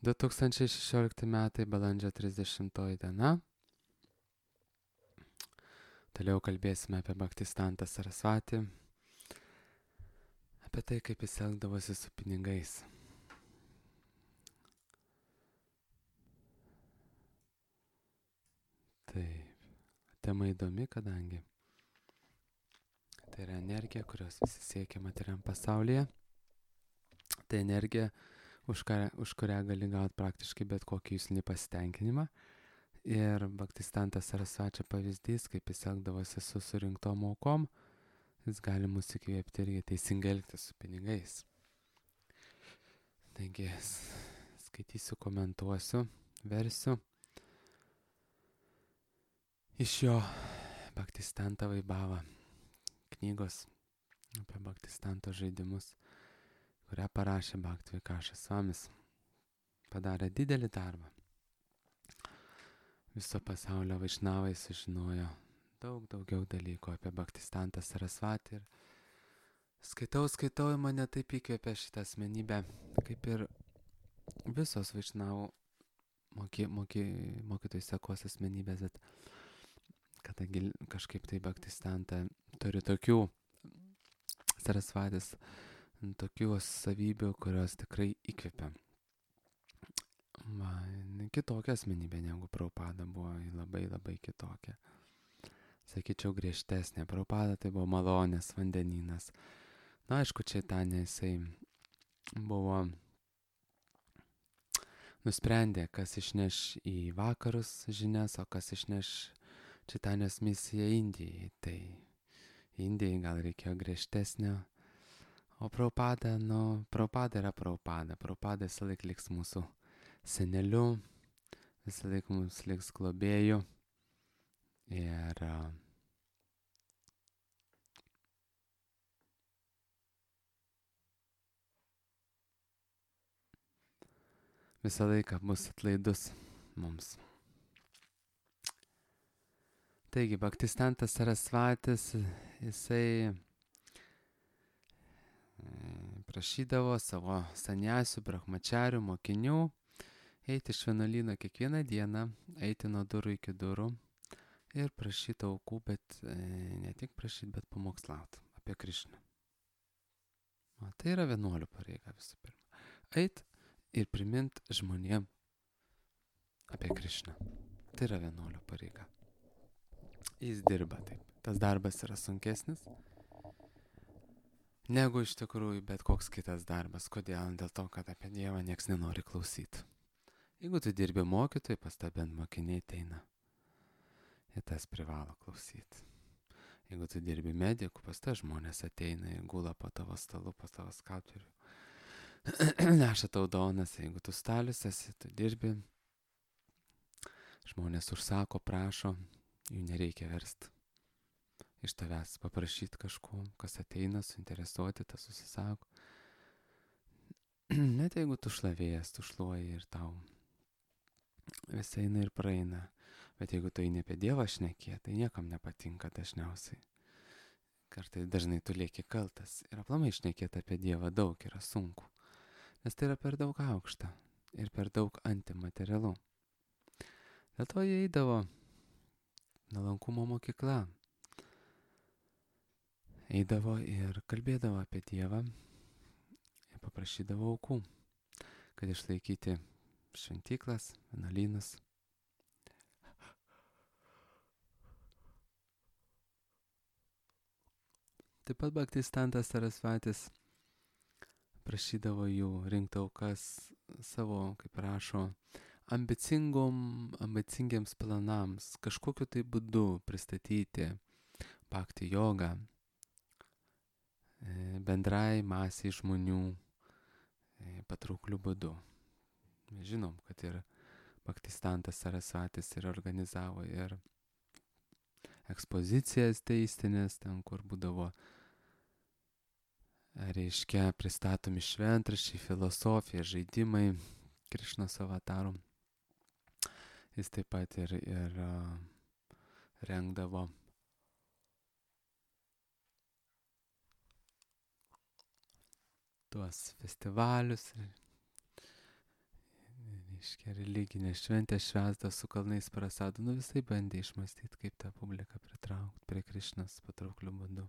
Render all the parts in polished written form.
2016 metai, balandžio 30 diena. Toliau kalbėsime apie Bhaktistantą Sarasvatį, apie tai, kaip jis elgdavosi su pinigais. Taip, tema įdomi, kadangi tai yra energija, kurios visi siekia materiam pasaulyje. Tai energija, už kurią gali gauti praktiškai bet kokį jūslinį pasitenkinimą. Ir Bhaktistantas Sarasvačio pavyzdys, kaip jis elgdavosi su surinktom aukom, jis gali mus įkvėpti irgi teisingai elgtis su pinigais. Taigi, skaitysiu, komentuosiu, versiu iš jo Bhaktistanta Vaibhava knygos apie Bhaktistanto žaidimus, kurią parašė Bhakti Vikašas Svamis. Padarė didelį darbą. Viso pasaulio vaišnavai sužinojo daug daugiau dalykų apie Bhaktistantą Sarasvatį. Ir skaitau, mane taip įkvėpė šitą asmenybę, kaip ir visos vaišnavų mokytojų sekos asmenybės, bet kadangi kažkaip tai Bhaktistantą turi tokių Sarasvatis, tokių savybių, kurios tikrai įkvėpia. Kitokia asmenybė negu Prabhupada buvo, labai labai kitokia. Sakyčiau, griežtesnė. Prabhupada tai buvo malonės vandenynas. Na, aišku, Čaitanija jisai buvo nusprendė, kas išneš į vakarus žinias, o kas išneš Čaitanijos misiją Indijai. Tai Indijai gal reikėjo griežtesnio. O Prabhupada, Prabhupada yra Prabhupada. Prabhupada visą laik liks mūsų seneliu, visą laik mums liks globėjų. Ir visą laiką bus atlaidus mums. Taigi, Bhaktistantas Sarasvatis, jisai prašydavo savo saniasių, brahmačarių, mokinių eiti iš vienuolyno kiekvieną dieną, eiti nuo durų iki durų ir prašyti aukų, bet ne tik prašyti, bet pamokslauti apie Krišną. Tai yra vienuolių pareiga visų pirma. Eit ir primint žmonėm apie Krišną. Tai yra vienuolių pareiga. Jis dirba taip. Tas darbas yra sunkesnis negu iš tikrųjų bet koks kitas darbas. Kodėl? Dėl to, kad apie Dievą nieks nenori klausyti. Jeigu tu dirbi mokytojai, pas tą bent mokiniai ateina. Ir tas privalo klausyti. Jeigu tu dirbi medikų, pas tą žmonės ateina ir gula po tavo stalu, po tavo skalperiu. Neša tau donas, jeigu tu stalius esi, tu dirbi. Žmonės užsako, prašo, jų nereikia versti. Iš tavęs paprašyti kažko, kas ateina, suinteresuoti, tas susisako. Net jeigu tu šlavėjas, tu šluoji ir tau visai eina ir praeina. Bet jeigu tu eini apie Dievą šnekė, tai niekam nepatinka dažniausiai. Kartais dažnai tu lieki kaltas. Ir aplamai šnekėti apie Dievą daug yra sunku. Nes tai yra per daug aukšta ir per daug antimaterialu. Dėl to jie eidavo nuolankumo mokykla. Eidavo ir kalbėdavo apie Dievą ir paprašydavo aukų, kad išlaikyti šventyklas, vienuolynus. Taip pat Bhaktistantas Sarasvatis prašydavo jų rinkti aukas savo, kaip rašo, ambicingiems planams, kažkokiu tai būdu pristatyti bhakti jogą bendrai masiai žmonių patraukliu būdu. Mes žinom, kad ir Bhaktistantas Sarasvatis ir organizavo ir ekspozicijas teistinės, ten kur būdavo, reiškia, pristatomi šventraščiai, filosofija, žaidimai Krišnos avatarų. Jis taip pat ir rengdavo tuos festivalius, Iškia religinė šventė švęsda su kalnais prasadu, nu visai bandė išmastyti, kaip tą publiką pritraukti prie Krišnos patraukliu būdu.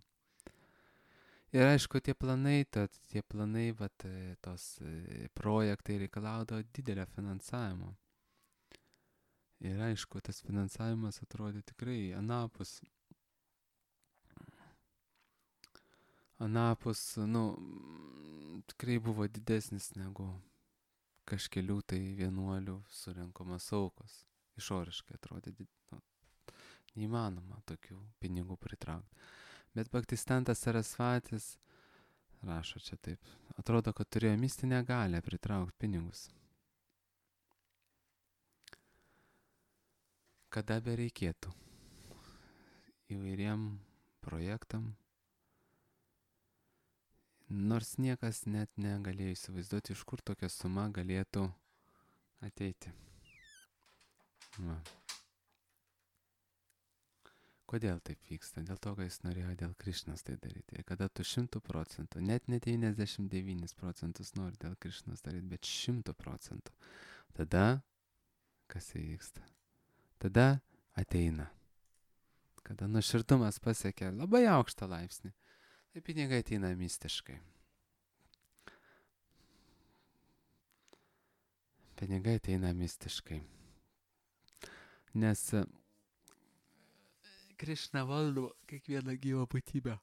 Ir aišku, tie planai, vat, tos projektai reikalaudo didelio finansavimo. Ir aišku, tas finansavimas atrodė tikrai anapus, nu, tikrai buvo didesnis negu kažkelių tai vienuolių surinkomas aukos. Išoriškai atrodė, neįmanoma tokių pinigų pritraukti. Bet Bhaktistantas Sarasvatis rašo čia taip. Atrodo, kad turėjo mistinę galią pritraukti pinigus. Kada bereikėtų įvairiem projektam, nors niekas net negalėjo įsivaizduoti, iš kur tokia suma galėtų ateiti. Va. Kodėl taip vyksta? Dėl to, kad jis norėjo dėl Krišnos tai daryti. Ir kada tu 100%, net ne 99% nori dėl Krišnos daryti, bet 100%, tada kas įvyksta? Tada ateina. Kada nuoširdumas pasiekia labai aukštą laipsnį, tai pinigai ateina mistiškai. Pinigai ateina mistiškai. Nes Krišna valdo kiekvieną gyvą būtybę.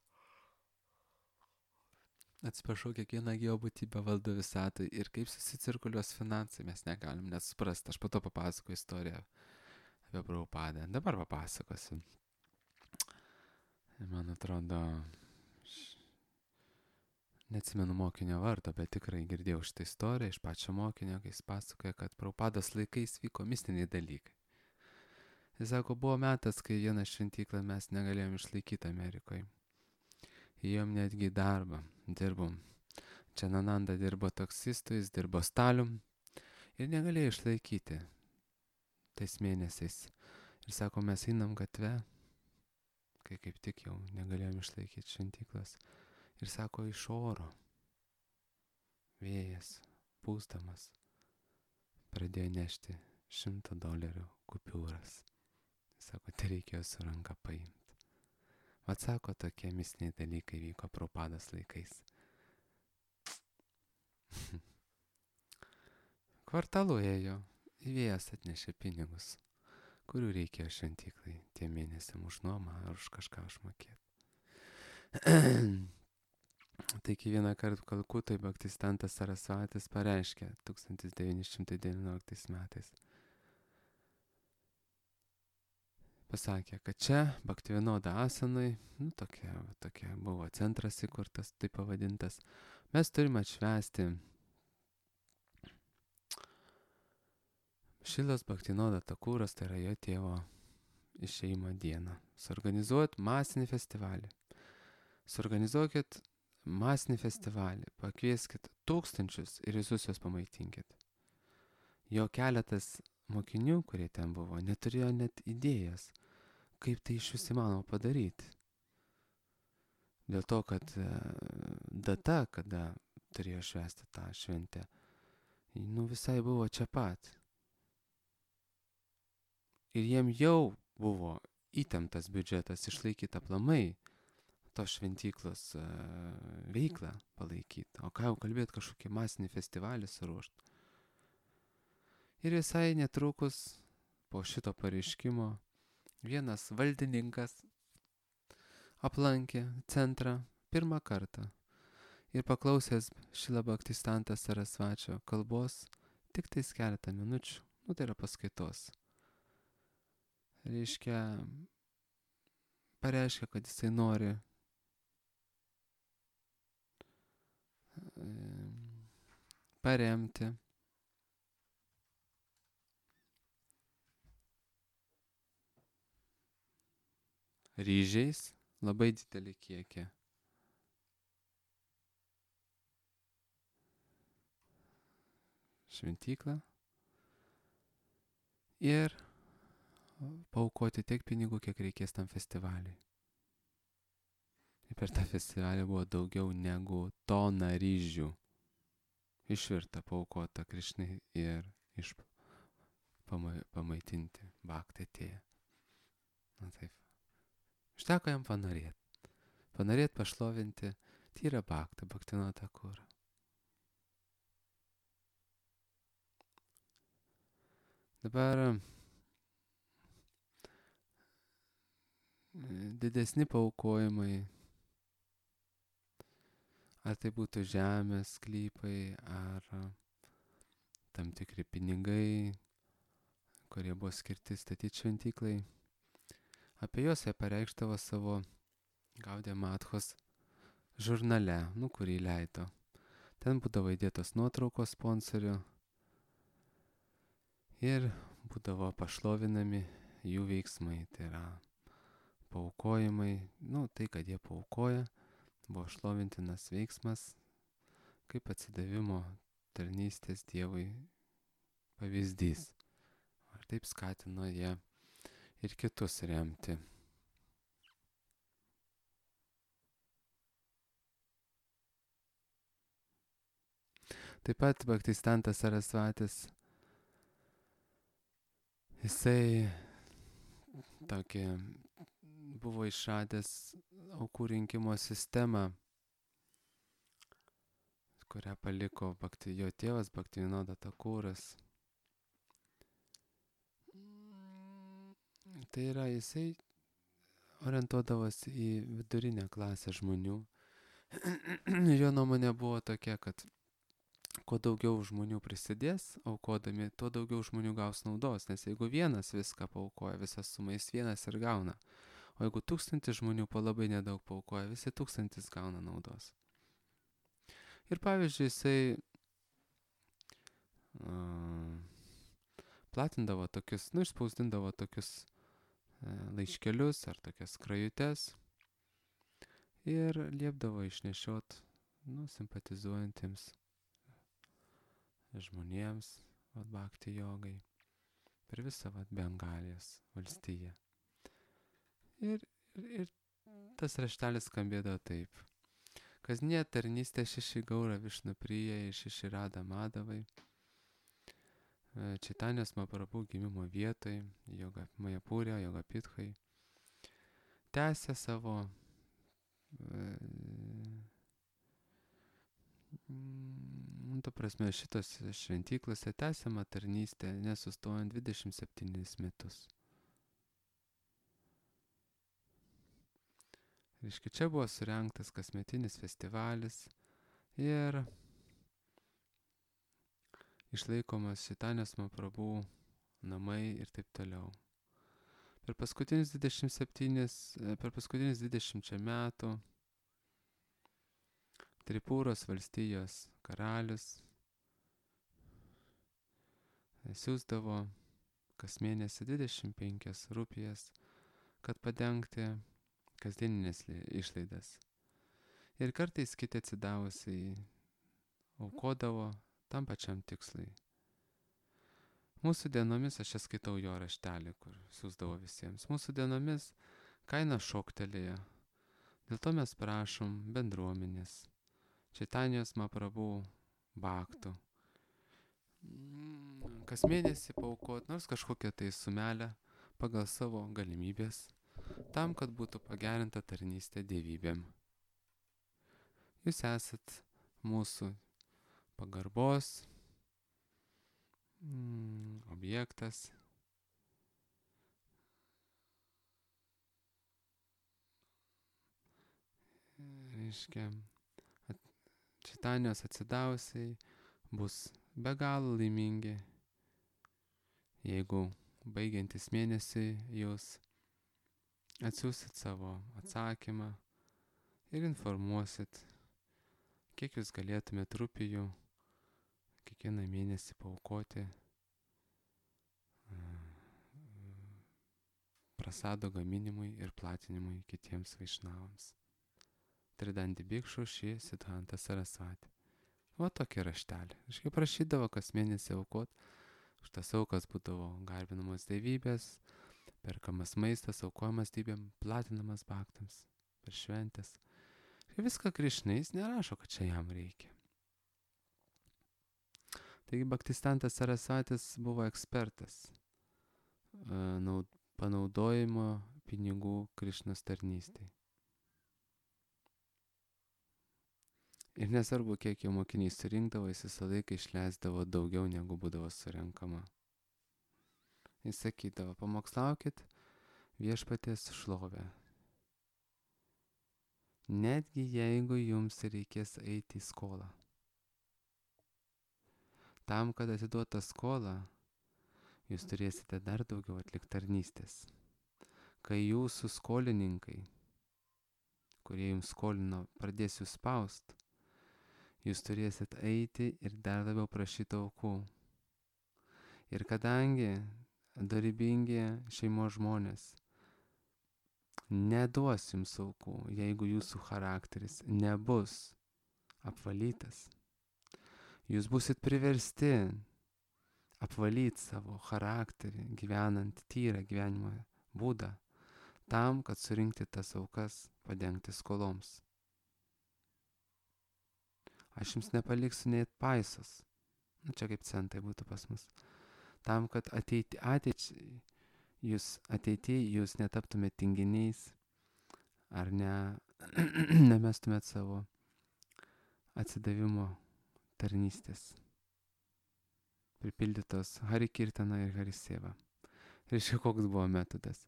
Atsiprašau, kiekvieną gyvą būtybę valdo visatą. Ir kaip susicirkuliuos finansai, mes negalim net suprasti. Aš po to papasakoju istoriją apie Prabhupadą. Dabar papasakosiu. Man atrodo, neatsimenu mokinio vardo, bet tikrai girdėjau šitą istoriją iš pačio mokinio, kai jis pasakoja, kad Prabhupados laikais vyko mistiniai dalykai. Jis sako, buvo metas, kai vieną šventyklą mes negalėjom išlaikyti Amerikoje. Įjom netgi darbą, dirbom. Čanananda dirbo taksistu, jis dirbo stalium ir negalėjo išlaikyti tais mėnesiais. Ir sako, mes einam gatve, kai kaip tik jau negalėjom išlaikyti šventyklas. Ir sako, iš oro vėjas, pūstamas, pradėjo nešti $100 kupiūras. Sako, tai reikėjo su ranka paimti. Vat sako, tokie mistiniai dalykai vyko Prabhupados laikais. Kvartalu ėjo, vėjas atnešė pinigus, kurių reikėjo šventyklai tiem mėnesiam už nuomą ar už kažką užmokėti. Taigi vieną kartą Kalkutoje Bhaktistantas Sarasvatis pareiškė 1919 metais. Pasakė, kad čia Bhaktivinoda Asanui, tokia buvo centras įkurtas, taip pavadintas, mes turime atšvęsti Šilas Bhaktivinoda Thakuras, tai yra jo tėvo išėjimo dieną. Suorganizuoti masinį festivalį. Suorganizuokit masinį festivalį, pakvieskit tūkstančius ir visus juos pamaitinkit. Jo keletas mokinių, kurie ten buvo, neturėjo net idėjas, kaip tai iš vis įmanoma padaryti. Dėl to, kad data, kada turėjo švęsti tą šventę, visai buvo čia pat. Ir jiem jau buvo įtemptas biudžetas išlaikyti aplamai tos šventyklos veiklą palaikyti. O ką jau kalbėti, kažkokį masinį festivalį suruošti. Ir visai netrukus po šito pareiškimo vienas valdininkas aplankė centrą pirmą kartą ir paklausęs Šrila Bhaktisiddhanta Sarasvačio kalbos tik tais keletą minučių, tai yra paskaitos. Pareiškia, kad jisai nori paremti ryžiais labai didelį kiekį šventyklą ir paaukoti tiek pinigų, kiek reikės tam festivaliui. Ir per tą festivalį buvo daugiau negu tona ryžių išvirta, paaukota Krišnai ir pamaitinti bhaktą atėję. Na taip. Užteko jam panorėti. Panorėti pašlovinti tyrą bhaktą, Bhaktivinodą Thakurą. Dabar didesni paaukojimai, ar tai būtų žemės sklypai, ar tam tikri pinigai, kurie buvo skirti statyti šventyklai. Apie juos jie pareikštavo savo Gaudiya Madhos žurnale, kurį leido. Ten būdavo įdėtos nuotraukos sponsorių ir būdavo pašlovinami jų veiksmai. Tai yra paaukojimai, tai, kad jie paaukoja, buvo šlovintinas veiksmas, kaip atsidavimo tarnystės Dievui pavyzdys. Ar taip skatino jie ir kitus remti. Taip pat Bhaktisiddhanta Sarasvatis, jisai tokį buvo išradęs aukų rinkimo sistemą, kurią paliko jo tėvas Bhaktivinoda Thakuras. Tai yra, jisai orientuodavosi į vidurinę klasę žmonių. Jo nuomonė buvo tokia, kad kuo daugiau žmonių prisidės aukodami, tuo daugiau žmonių gaus naudos, nes jeigu vienas viską paaukoja, visas sumais vienas ir gauna, o jeigu 1000 žmonių po labai nedaug paaukoja, visi 1000 gauna naudos. Ir pavyzdžiui, jisai platindavo tokius, išspausdindavo tokius laiškelius ar tokias skrajutes ir liepdavo išnešiot simpatizuojantiems žmonėms bhakti jogai per visą Bengalijos valstiją. Ir tas raštelis skambėdavo taip. Kasdieninė tarnystė Šiši Gaura Višnuprijai, Šiši Radha Madhavai, Čaitanijos Mahaprabhu gimimo vietoj, Majapūrė, Jogapithai, tęsė savo šitos šventyklose tęsiama tarnystė nesustojant 27 metus. Reiškia, čia buvo surengtas kasmetinis festivalis ir išlaikomas Čaitanijos Mahaprabhu namai ir taip toliau. Per paskutinius 20 metų Tripūros valstijos karalius siųsdavo kas mėnesį 25 rupijas, kad padengti kasdieninės išlaidas. Ir kartais kiti atsidavusiai aukodavo tam pačiam tikslui. Mūsų dienomis, aš čia skaitau jo raštelį, kur siųsdavo visiems, mūsų dienomis kaina šoktelėjo. Dėl to mes prašom bendruomenės, Čaitanijos Mahaprabhu bhaktų, kas mėnesį paaukot nors kažkokią tai sumelę pagal savo galimybės, tam, kad būtų pagerinta tarnystė dievybėm. Jūs esat mūsų pagarbos objektas. Reiškia, Čaitanijos atsidavusiai bus be galo laimingi, jeigu baigiantis mėnesį jūs atsiųsit savo atsakymą ir informuosit, kiek jūs galėtumėt rupijų kiekvieną mėnesį paaukoti prasado gaminimui ir platinimui kitiems vaišnavams. Tridandi Bhikšu Šri Siddhanta Sarasvati. Va tokį raštelį. Aš kaip prašydavo kas mėnesį aukot, už tas aukas būdavo garbinamos dievybės, perkamas maistas, aukojamas dievybėm, platinamas bhaktams per šventės. Ir viską Krišnai, jis nerašo, kad čia jam reikia. Taigi Bhaktisiddhanta Sarasvatis buvo ekspertas panaudojimo pinigų Krišnos tarnystei. Ir nesvarbu, kiek jo mokiniai surinkdavo, jis visą laiką išleisdavo daugiau, negu būdavo surenkama. Jis sakydavo, pamokslaukit viešpaties šlovę. Netgi jeigu jums reikės eiti į skolą. Tam, kad atiduotą skolą, jūs turėsite dar daugiau atlikti tarnystės. Kai jūsų skolininkai, kurie jums skolino, pradės jūs spaust, jūs turėsit eiti ir dar labiau prašyti aukų. Ir kadangi dorybingi šeimos žmonės neduos jums aukų, jeigu jūsų charakteris nebus apvalytas, jūs busit priversti apvalyti savo charakterį, gyvenant tyrą gyvenimo būdą, tam, kad surinkti tas aukas, padengti skoloms. Aš jums nepaliksiu net paisos. Čia kaip centai būtų pas mus. Tam, kad ateityje jūs netaptumėt tinginiais ar nemestumėt savo atsidavimo tarnystės. Pripildytos Hari Kirtana ir Hari Seva. Reiškia, koks buvo metodas.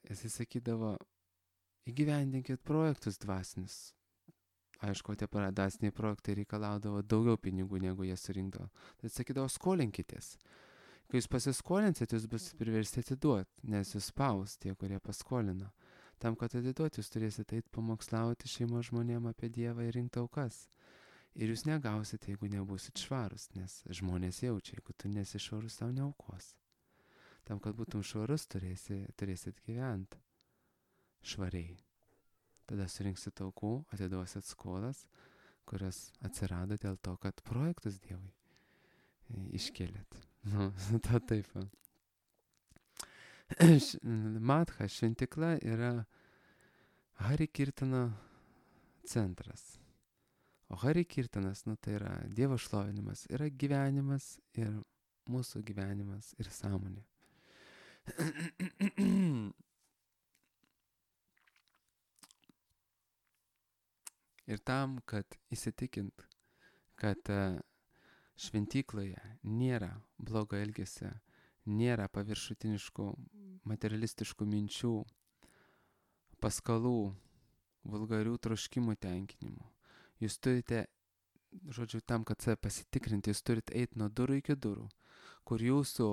Jis sakydavo, įgyvendinkit projektus dvasinius. Aišku, tie dvasiniai projektai reikalaudavo daugiau pinigų, negu jie surinkdavo. Tai sakydavo, skolinkitės. Kai jūs pasiskolinsit, jūs bus priversti atiduoti, nes jūs spaus tie, kurie paskolino. Tam, kad atiduoti, jūs turėsite eiti pamokslauti šeimos žmonėm apie Dievą ir rinkti aukas. Ir jūs negausite, jeigu nebusit švarus, nes žmonės jaučia, jeigu tu nesi švarus, tau neaukos. Tam, kad būtum švarus, turėsit gyventi švariai. Tada surinksit aukų, atiduosit skolas, kurios atsirado dėl to, kad projektus Dievui iškėlėt. Ta taip. Matha šventikla yra Hari Kirtano centras. O Hari Kirtanas, tai yra Dievo šlovinimas, yra gyvenimas ir mūsų gyvenimas ir sąmonė. Ir tam, kad įsitikint, kad šventykloje nėra blogo elgesio, nėra paviršutiniškų, materialistiškų minčių, paskalų, vulgarių troškimų tenkinimų. Jūs turite, tam, kad save pasitikrinti, jūs turite eiti nuo durų iki durų, kur jūsų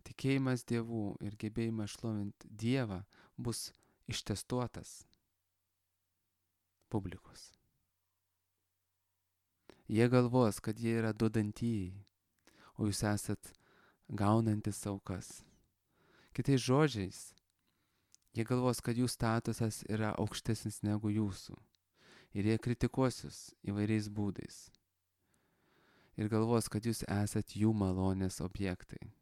tikėjimas Dievu ir gebėjimas šlovinti Dievą bus ištestuotas publikos. Jie galvos, kad jie yra duodantieji, o jūs esat gaunantis aukas. Kitais žodžiais, jie galvos, kad jų statusas yra aukštesnis negu jūsų. Ir jie kritikuos jūs įvairiais būdais. Ir galvos, kad jūs esat jų malonės objektai.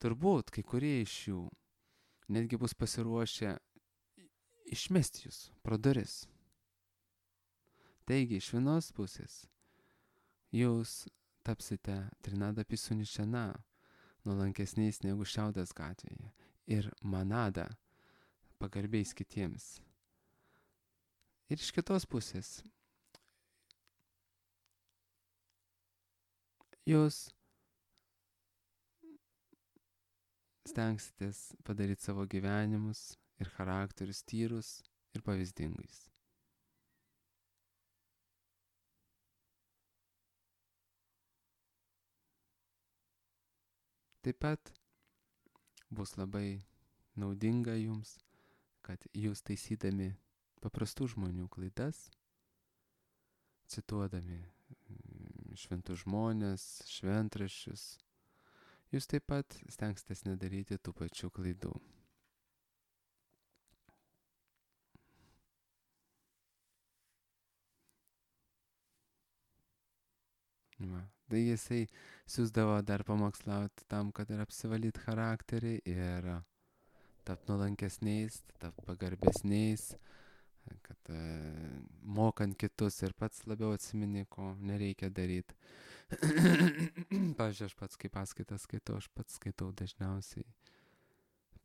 Turbūt kai kurie iš jų netgi bus pasiruošę išmesti jūs pro duris. Taigi, iš vienos pusės, jūs tapsite Trinada Pisunišena, nuolankesniais negu Šiaudės gatvėje, ir Manada, pagarbiais kitiems. Ir iš kitos pusės, jūs stengsitės padaryti savo gyvenimus ir charakterius tyrus ir pavyzdingais. Taip pat bus labai naudinga jums, kad jūs taisydami paprastų žmonių klaidas, cituodami šventus žmones, šventraščius, jūs taip pat stengsitės nedaryti tų pačių klaidų. Tai jisai siūsdavo dar pamokslauti tam, kad ir apsivalyti charakterį ir tapt nuolankesniais, tapt pagarbesniais, kad mokant kitus ir pats labiau atsimeni, ko nereikia daryti. pavyzdžiui, aš pats, kai paskaitą skaitau, aš pats skaitau dažniausiai.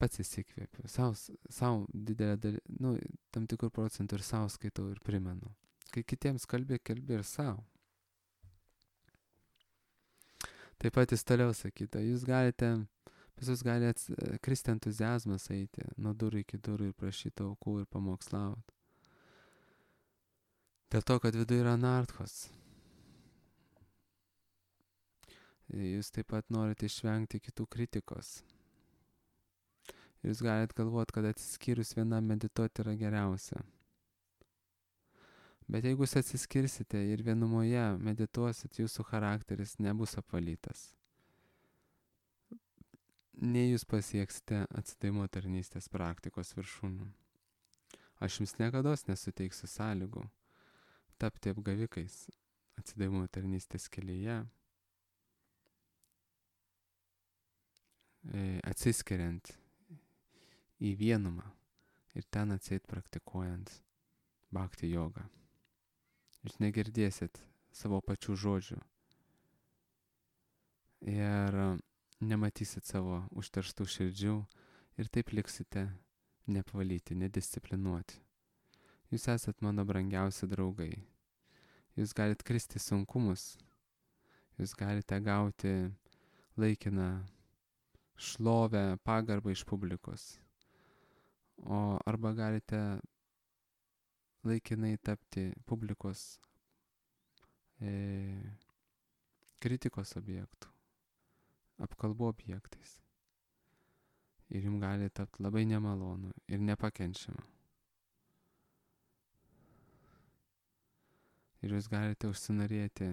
Pats įsikvėpiu. Sau didelę dalį, tam tikrų procentų ir sau skaitau ir primenu. Kai kitiems kalbi ir sau. Taip pat jis toliau sakyta, pas jūs gali kristi entuziazmas eiti nuo durų iki durų ir prašyti aukų ir pamokslauti. Dėl to, kad viduje yra anarchos. Jūs taip pat norite išvengti kitų kritikos. Jūs galite galvoti, kad atsiskyrus vienam medituoti yra geriausia. Bet jeigu jūs atsiskirsite ir vienumoje medituosit, jūsų charakteris nebus apvalytas. Nei jūs pasieksite atsidavimo tarnystės praktikos viršūnių. Aš jums niekados nesuteiksiu sąlygų tapti apgavikais atsidavimo tarnystės kelyje, atsiskiriant į vienumą ir ten atseit praktikuojant bhakti jogą. Jūs negirdėsit savo pačių žodžių ir nematysit savo užterštų širdžių ir taip liksite neapvalyti, nedisciplinuoti. Jūs esat mano brangiausi draugai. Jūs galite kristi sunkumus. Jūs galite gauti laikiną šlovę, pagarbą iš publikos. Arba galite laikinai tapti publikos kritikos objektų, apkalbų objektais. Ir jums gali tapti labai nemalonu ir nepakenčiama. Ir jūs galite užsinorėti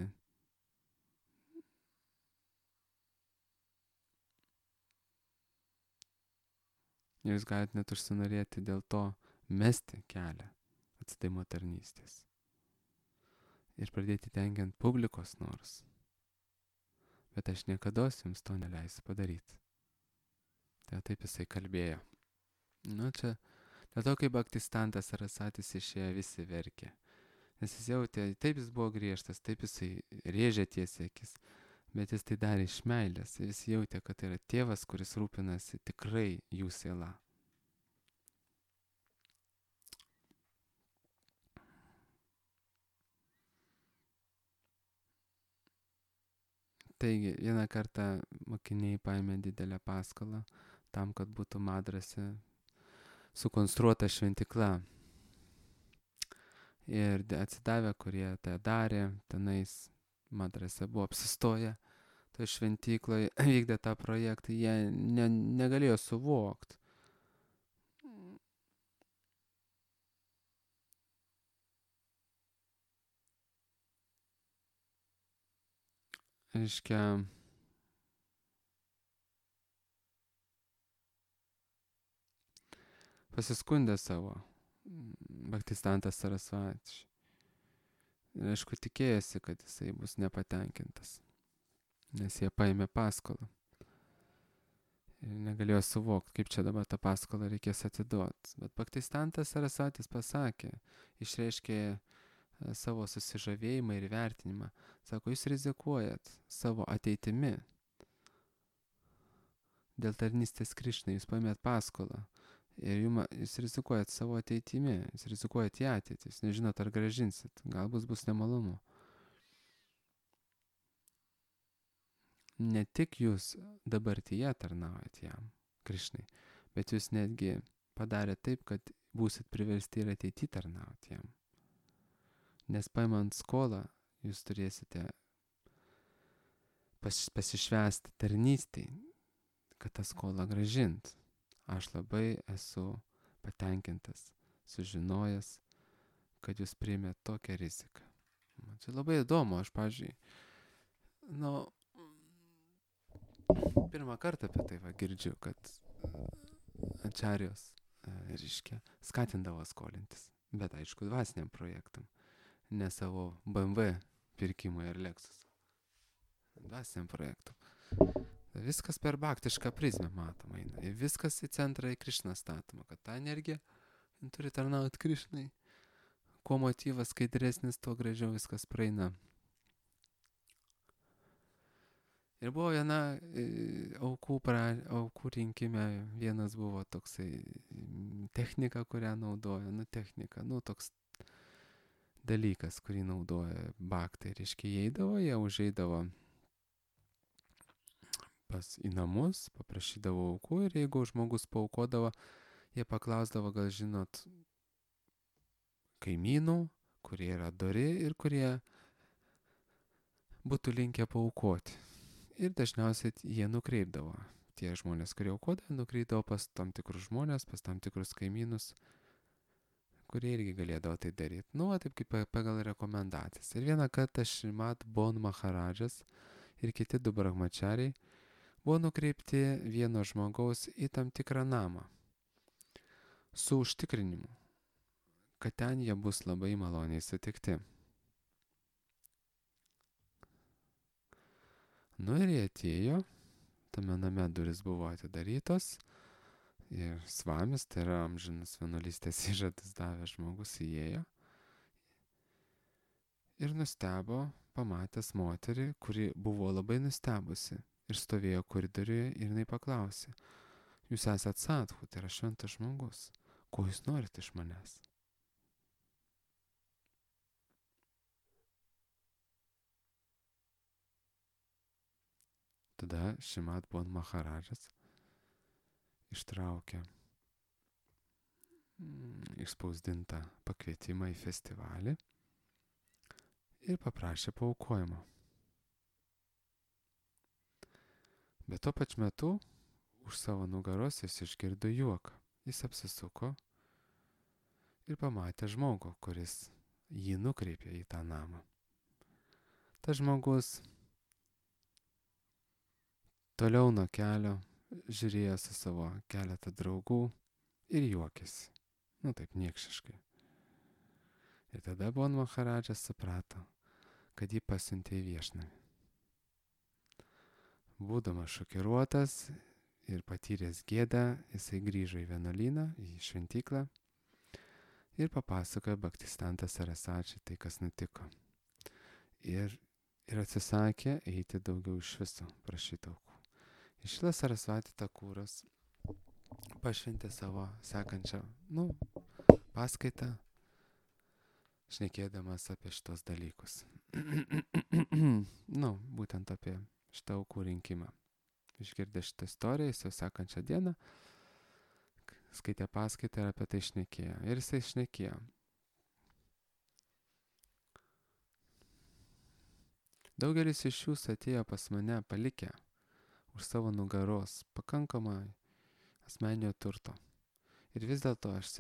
net užsinorėti dėl to mesti kelią atsidavimo tarnystės ir pradėti tenkint publikos norus. Bet aš niekados jums to neleisiu padaryti. Tai taip jisai kalbėjo. Čia dėl to, kai Bhaktistantas Sarasatis išėjo, visi verkė. Nes jis jautė, taip jis buvo griežtas, taip jisai rėžė tiesiai akis, bet jis tai darė iš meilės. Jis jautė, kad tai yra tėvas, kuris rūpinasi tikrai jų siela. Taigi, vieną kartą mokiniai paėmė didelę paskolą tam, kad būtų Madrase sukonstruota šventykla. Ir atsidavę, kurie tą darė, tenais Madrase buvo apsistoję, toje šventykloje vykdė tą projektą, jie negalėjo suvokti. Reiškia, pasiskundė savo Bhaktistantas Sarasvati. Ir aišku, tikėjosi, kad jisai bus nepatenkintas, nes jie paėmė paskolą. Ir negalėjo suvokti, kaip čia dabar tą paskolą reikės atiduoti. Bet Bhaktistantas Sarasvatis pasakė, išreiškė savo susižavėjimą ir vertinimą. Sako, jūs rizikuojat savo ateitimi. Dėl tarnystės Krišnai jūs paėmėt paskolą. Ir jūs rizikuojat savo ateitimi. Jūs rizikuojat į ateitį. Jūs nežinot, ar grąžinsit. Galbūt bus nemalonu. Ne tik jūs dabartyje tarnaujat jam, Krišnai, bet jūs netgi padarė taip, kad būsit priversti ir ateityje tarnauti jam. Nes paimant skolą, jūs turėsite pasišvęsti tarnystėj, kad tą skolą grąžint. Aš labai esu patenkintas, sužinojęs, kad jūs priėmėt tokią riziką. Man čia labai įdomu, aš, pavyzdžiui, pirmą kartą apie tai girdžiu, kad ačarijos, reiškia, skatindavo skolintis, bet aišku, dvasiniam projektam. Ne savo BMW pirkimui ar Lexus. Dvasiniam projektum. Viskas per bhaktišką prizmę matoma. Ir viskas į centrą į Krišną statoma. Kad ta energija turi tarnauti Krišnai. Kuo motyvas skaidresnis, tuo gražiau viskas praeina. Ir buvo viena aukų rinkime, vienas buvo toksai technika, kurią naudoja, technika, toks dalykas, kurį naudoja baktai. Reiškia, jie užeidavo į namus, paprašydavo aukų ir jeigu žmogus paaukodavo, jie paklausdavo, gal žinot, kaimynų, kurie yra dori ir kurie būtų linkę paaukoti. Ir dažniausiai jie nukreipdavo. Tie žmonės, kurie aukodavo, nukreipdavo pas tam tikrus žmonės, pas tam tikrus kaimynus, kurie irgi galėdavo tai daryti. Taip kaip pagal rekomendacijas. Ir vieną kartą Šrimat Bon Maharadžas ir kiti du brahmačariai buvo nukreipti vieno žmogaus į tam tikrą namą su užtikrinimu, kad ten jie bus labai maloniai sutikti. Ir jie atėjo, tame name duris buvo atidarytos ir svamis, tai yra amžinas vienuolystės įžadas davęs žmogus, įėjo ir nustebo, pamatęs moterį, kuri buvo labai nustebusi ir stovėjo koridoriuje ir jinai paklausė: jūs esat sadhu, tai yra šventas žmogus, ko jūs norite iš manęs? Tada Šrimat Bon Maharadžas ištraukė išspausdintą pakvietimą į festivalį ir paprašė paaukojimo. Bet tuo pačiu metu už savo nugaros jis išgirdo juoką. Jis apsisuko ir pamatė žmogų, kuris jį nukreipė į tą namą. Tas žmogus toliau nuo kelio žiūrėjo su savo keletą draugų ir juokėsi. Taip niekšiškai. Ir tada Bon Maharadžas suprato, kad jį pasiuntė į viešnamį. Būdamas šokiruotas ir patyręs gėdą, jisai grįžo į vienuolyną, į šventyklą ir papasakojo Bhaktisiddhanta Sarasvačiui tai, kas nutiko. Ir atsisakė eiti daugiau iš viso prašyti aukų. Šrila Sarasvati Takuras pašventė savo sekančią paskaitą, šnekėdamas apie šitos dalykus. Būtent apie šitą aukų rinkimą. Išgirdė šitą istoriją, jis jau sekančią dieną skaitė paskaitą ir apie tai šnekėjo. Ir jisai šnekėjo. Daugelis iš jūsų atėjo pas mane palikę už savo nugaros pakankamai asmeninio turto. Ir vis dėlto aš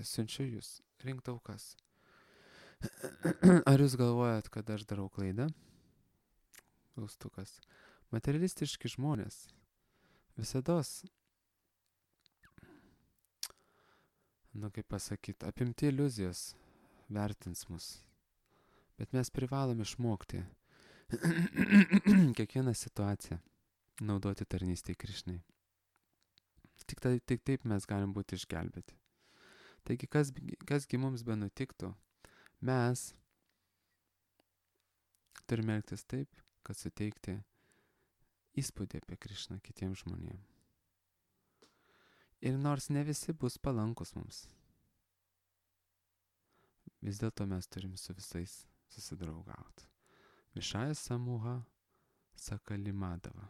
siunčiu jūs rinkti aukas. Ar jūs galvojat, kad aš darau klaidą? Klaustukas. Materialistiški žmonės visados, kaip pasakyti, apimti iliuzijos vertins mus. Bet mes privalom išmokti kiekvieną situaciją naudoti tarnystei Krišnai. Tik taip mes galim būti išgelbėti. Taigi, kasgi mums benutiktų, mes turime elgtis taip, kad suteikti įspūdį apie Krišną kitiems žmonėms. Ir nors ne visi bus palankus mums, vis dėlto mes turim su visais susidraugauti. Višaja samuha sakalimadava.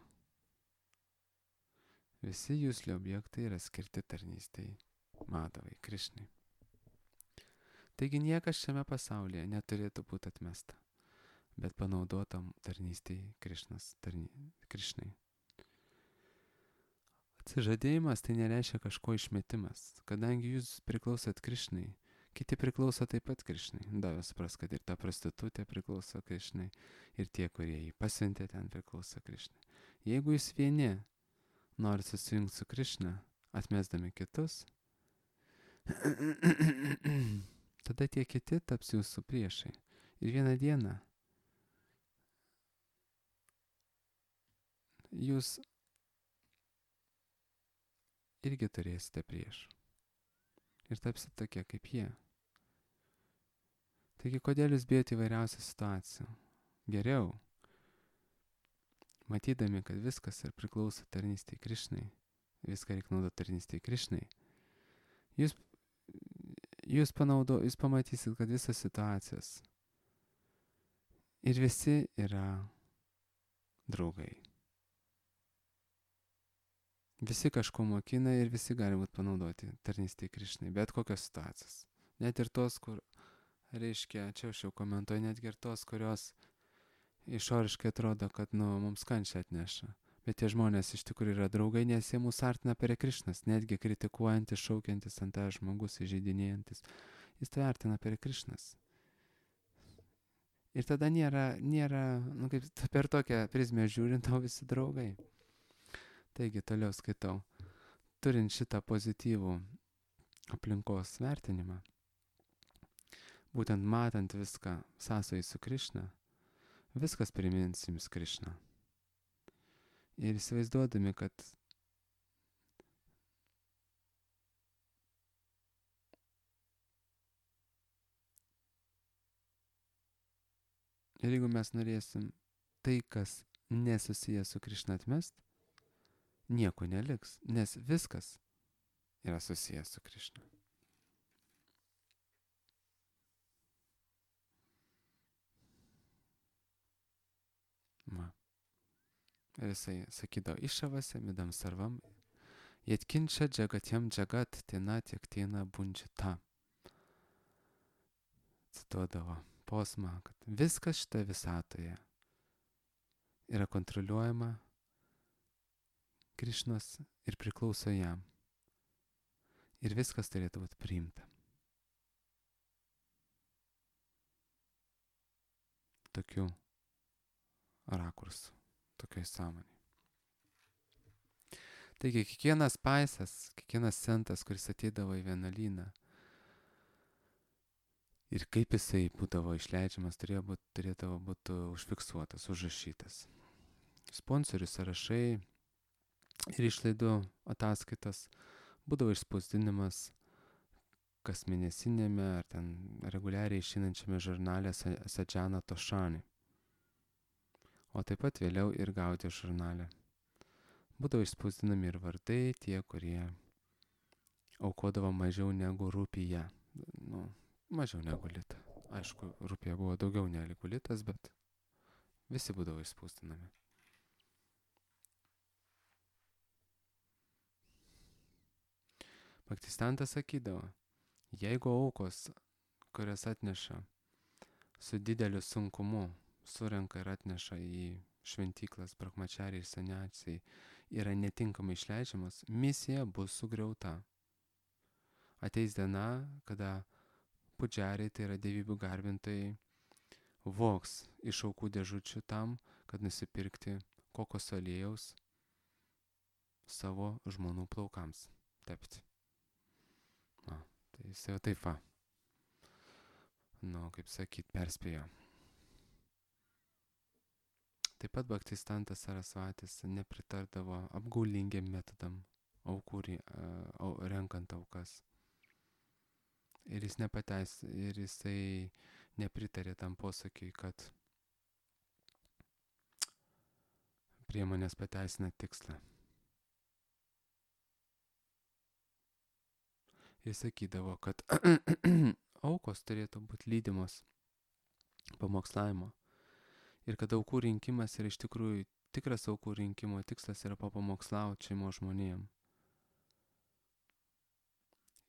Visi jūsli objektai yra skirti tarnystei Madavai, Krišnai. Taigi niekas šiame pasaulyje neturėtų būti atmesta, bet panaudotam tarnystei Krišnai. Atsižadėjimas tai nereiškia kažko išmetimas, kadangi jūs priklausot Krišnai, kiti priklauso taip pat Krišnai. Davė supras, kad ir ta prostitutė priklauso Krišnai, ir tie, kurie jį pasiuntė, ten priklauso Krišnai. Jeigu jūs vieni norit susijungti su Krišna, atmesdami kitus, tada tie kiti taps jūsų priešai. Ir vieną dieną jūs irgi turėsite priešų. Ir tapsite tokie kaip jie. Taigi, kodėl jūs bijote įvairiausių situacijų? Geriau matydami, kad viskas ir priklauso tarnystėje Krišnai, viską reikia naudoti tarnystėje Krišnai, jūs pamatysit, kad visas situacijas ir visi yra draugai. Visi kažko mokina ir visi gali būti panaudoti tarnystėje Krišnai, bet kokios situacijos. Net ir tos, kur, reiškia, čia aš jau komentuoju, netgi ir tos, kurios išoriškai atrodo, kad mums kančią atneša. Bet tie žmonės iš tikrųjų yra draugai, nes jie mūsų artina prie Krišnos, netgi kritikuojantis, šaukiantis ant tą žmogus, įžeidinėjantis. Jis tai artina prie Krišnos. Ir tada nėra, kaip per tokią prizmę žiūrint, tau visi draugai. Taigi, toliau skaitau. Turint šitą pozityvų aplinkos vertinimą, būtent matant viską sąsojai su Krišna, viskas primins jums Krišną. Ir įsivaizduodami, kad ir jeigu mes norėsim tai, kas nesusijęs su Krišna atmest, nieko neliks, nes viskas yra susijęs su Krišna. Ir jisai sakydavo, išavase midam sarvam, jetkinčia džagatjam džagat tena tiek tena bunčita. Cituodavo posmą, kad viskas šita visatoje yra kontroliuojama Krišnos ir priklauso jam. Ir viskas turėtų būti priimta. Tokiu rakursu, tokioj sąmonė. Taigi kiekvienas paisas, kiekvienas centas, kuris ateidavo į vienuolyną ir kaip jisai būdavo išleidžiamas, turėdavo būti užfiksuotas, užrašytas. Sponsorių sąrašai ir išlaidų ataskaitas būdavo išspausdinimas kasmėnesinėme ar ten reguliariai išeinančiame žurnale Sadžana Tošani, o taip pat vėliau ir Gaudija žurnale. Būdavo išspausdinami ir vardai tie, kurie aukodavo mažiau negu rupiją, mažiau negu litą. Aišku, rupija buvo daugiau negu litas, bet visi būdavo išspausdinami. Bhaktistantas sakydavo, jeigu aukos, kurias atneša su dideliu sunkumu, surenka ir atneša į šventyklas, brahmachariai ir saniacijai, yra netinkamai išleidžiamas, misija bus sugriauta. Ateis diena, kada pudžiariai, tai yra dievybių garbintojai, vogs iš aukų dėžučių tam, kad nusipirkti kokoso aliejaus savo žmonų plaukams tepti. Tai jis jau taip va, kaip sakyt, perspėjo. Taip pat Bhaktistantas Sarasvatis nepritardavo apgaulingiam metodam renkant aukas. Ir jisai nepritarė tam posakiui, kad priemonės pateisina tikslą. Jis sakydavo, kad aukos turėtų būti lydimos pamokslavimo. Ir kad aukų rinkimas yra iš tikrųjų tikras aukų rinkimo tikslas yra papamokslauti šeimos žmonėm.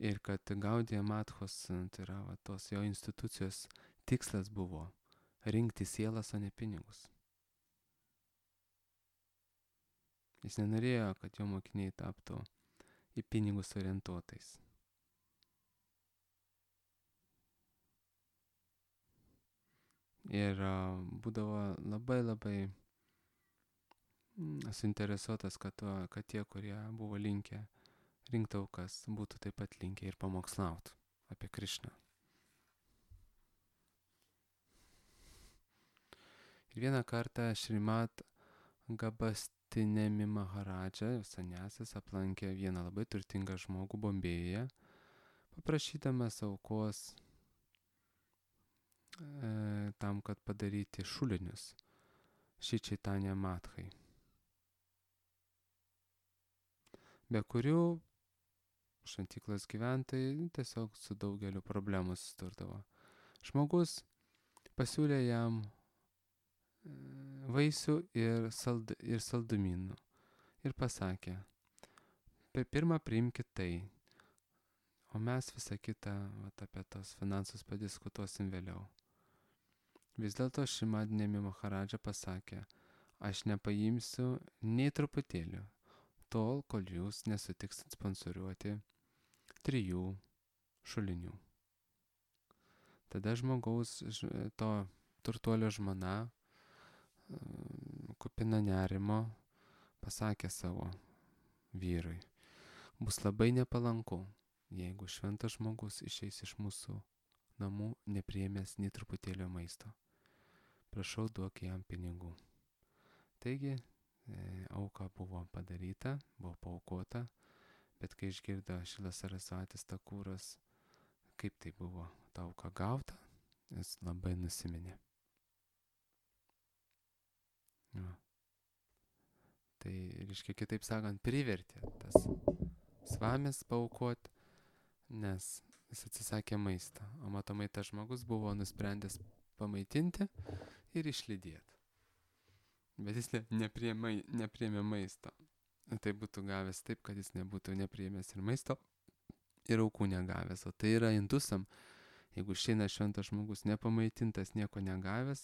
Ir kad Gaudija Madhos, tai yra tos jo institucijos tikslas buvo rinkti sielas, o ne pinigus. Jis nenorėjo, kad jo mokiniai taptų į pinigus orientuotais. Ir būdavo labai suinteresuotas, kad tie, kurie buvo linkę rinkti aukas, būtų taip pat linkę ir pamokslauti apie Krišną. Ir vieną kartą Šrimat Gabastinemi Maharadža, saniasis, aplankė vieną labai turtingą žmogų Bombėjuje, paprašydamas aukos tam, kad padaryti šulinius Šri Chaitanya Madhai. be kurių šventyklos gyventojai tiesiog su daugeliu problemų susidurdavo. Žmogus pasiūlė jam vaisių ir saldumynų ir pasakė, pirmą priimkit tai, o mes visą kitą apie tos finansus padiskutuosim vėliau. Vis dėlto Šimadnemi Maharadža pasakė, aš nepaimsiu nei truputėlių, tol, kol jūs nesutiksit sponsoriuoti 3 šulinių. Tada žmogaus, to turtuolio žmona, kupina nerimo, pasakė savo vyrui, bus labai nepalanku, jeigu šventas žmogus išeis iš mūsų namų nepriėmęs nei truputėlio maisto. Prašau, duok jam pinigų. Taigi, auka buvo padaryta, buvo paaukota, bet kai išgirdo Šilas Sarasvatis Takūras, kaip tai buvo ta auka gauta, jis labai nusiminė. Ja. Tai, reiškia, kitaip sakant, privertė tas svamis paaukoti, nes jis atsisakė maistą, o matomai tas žmogus buvo nusprendęs pamaitinti ir išlydėti. Bet jis nepriėmė maisto. Tai būtų gavęs taip, kad jis nebūtų nepriėmęs ir maisto, ir aukų negavęs. O tai yra indusam, jeigu išeina šventas žmogus nepamaitintas, nieko negavęs,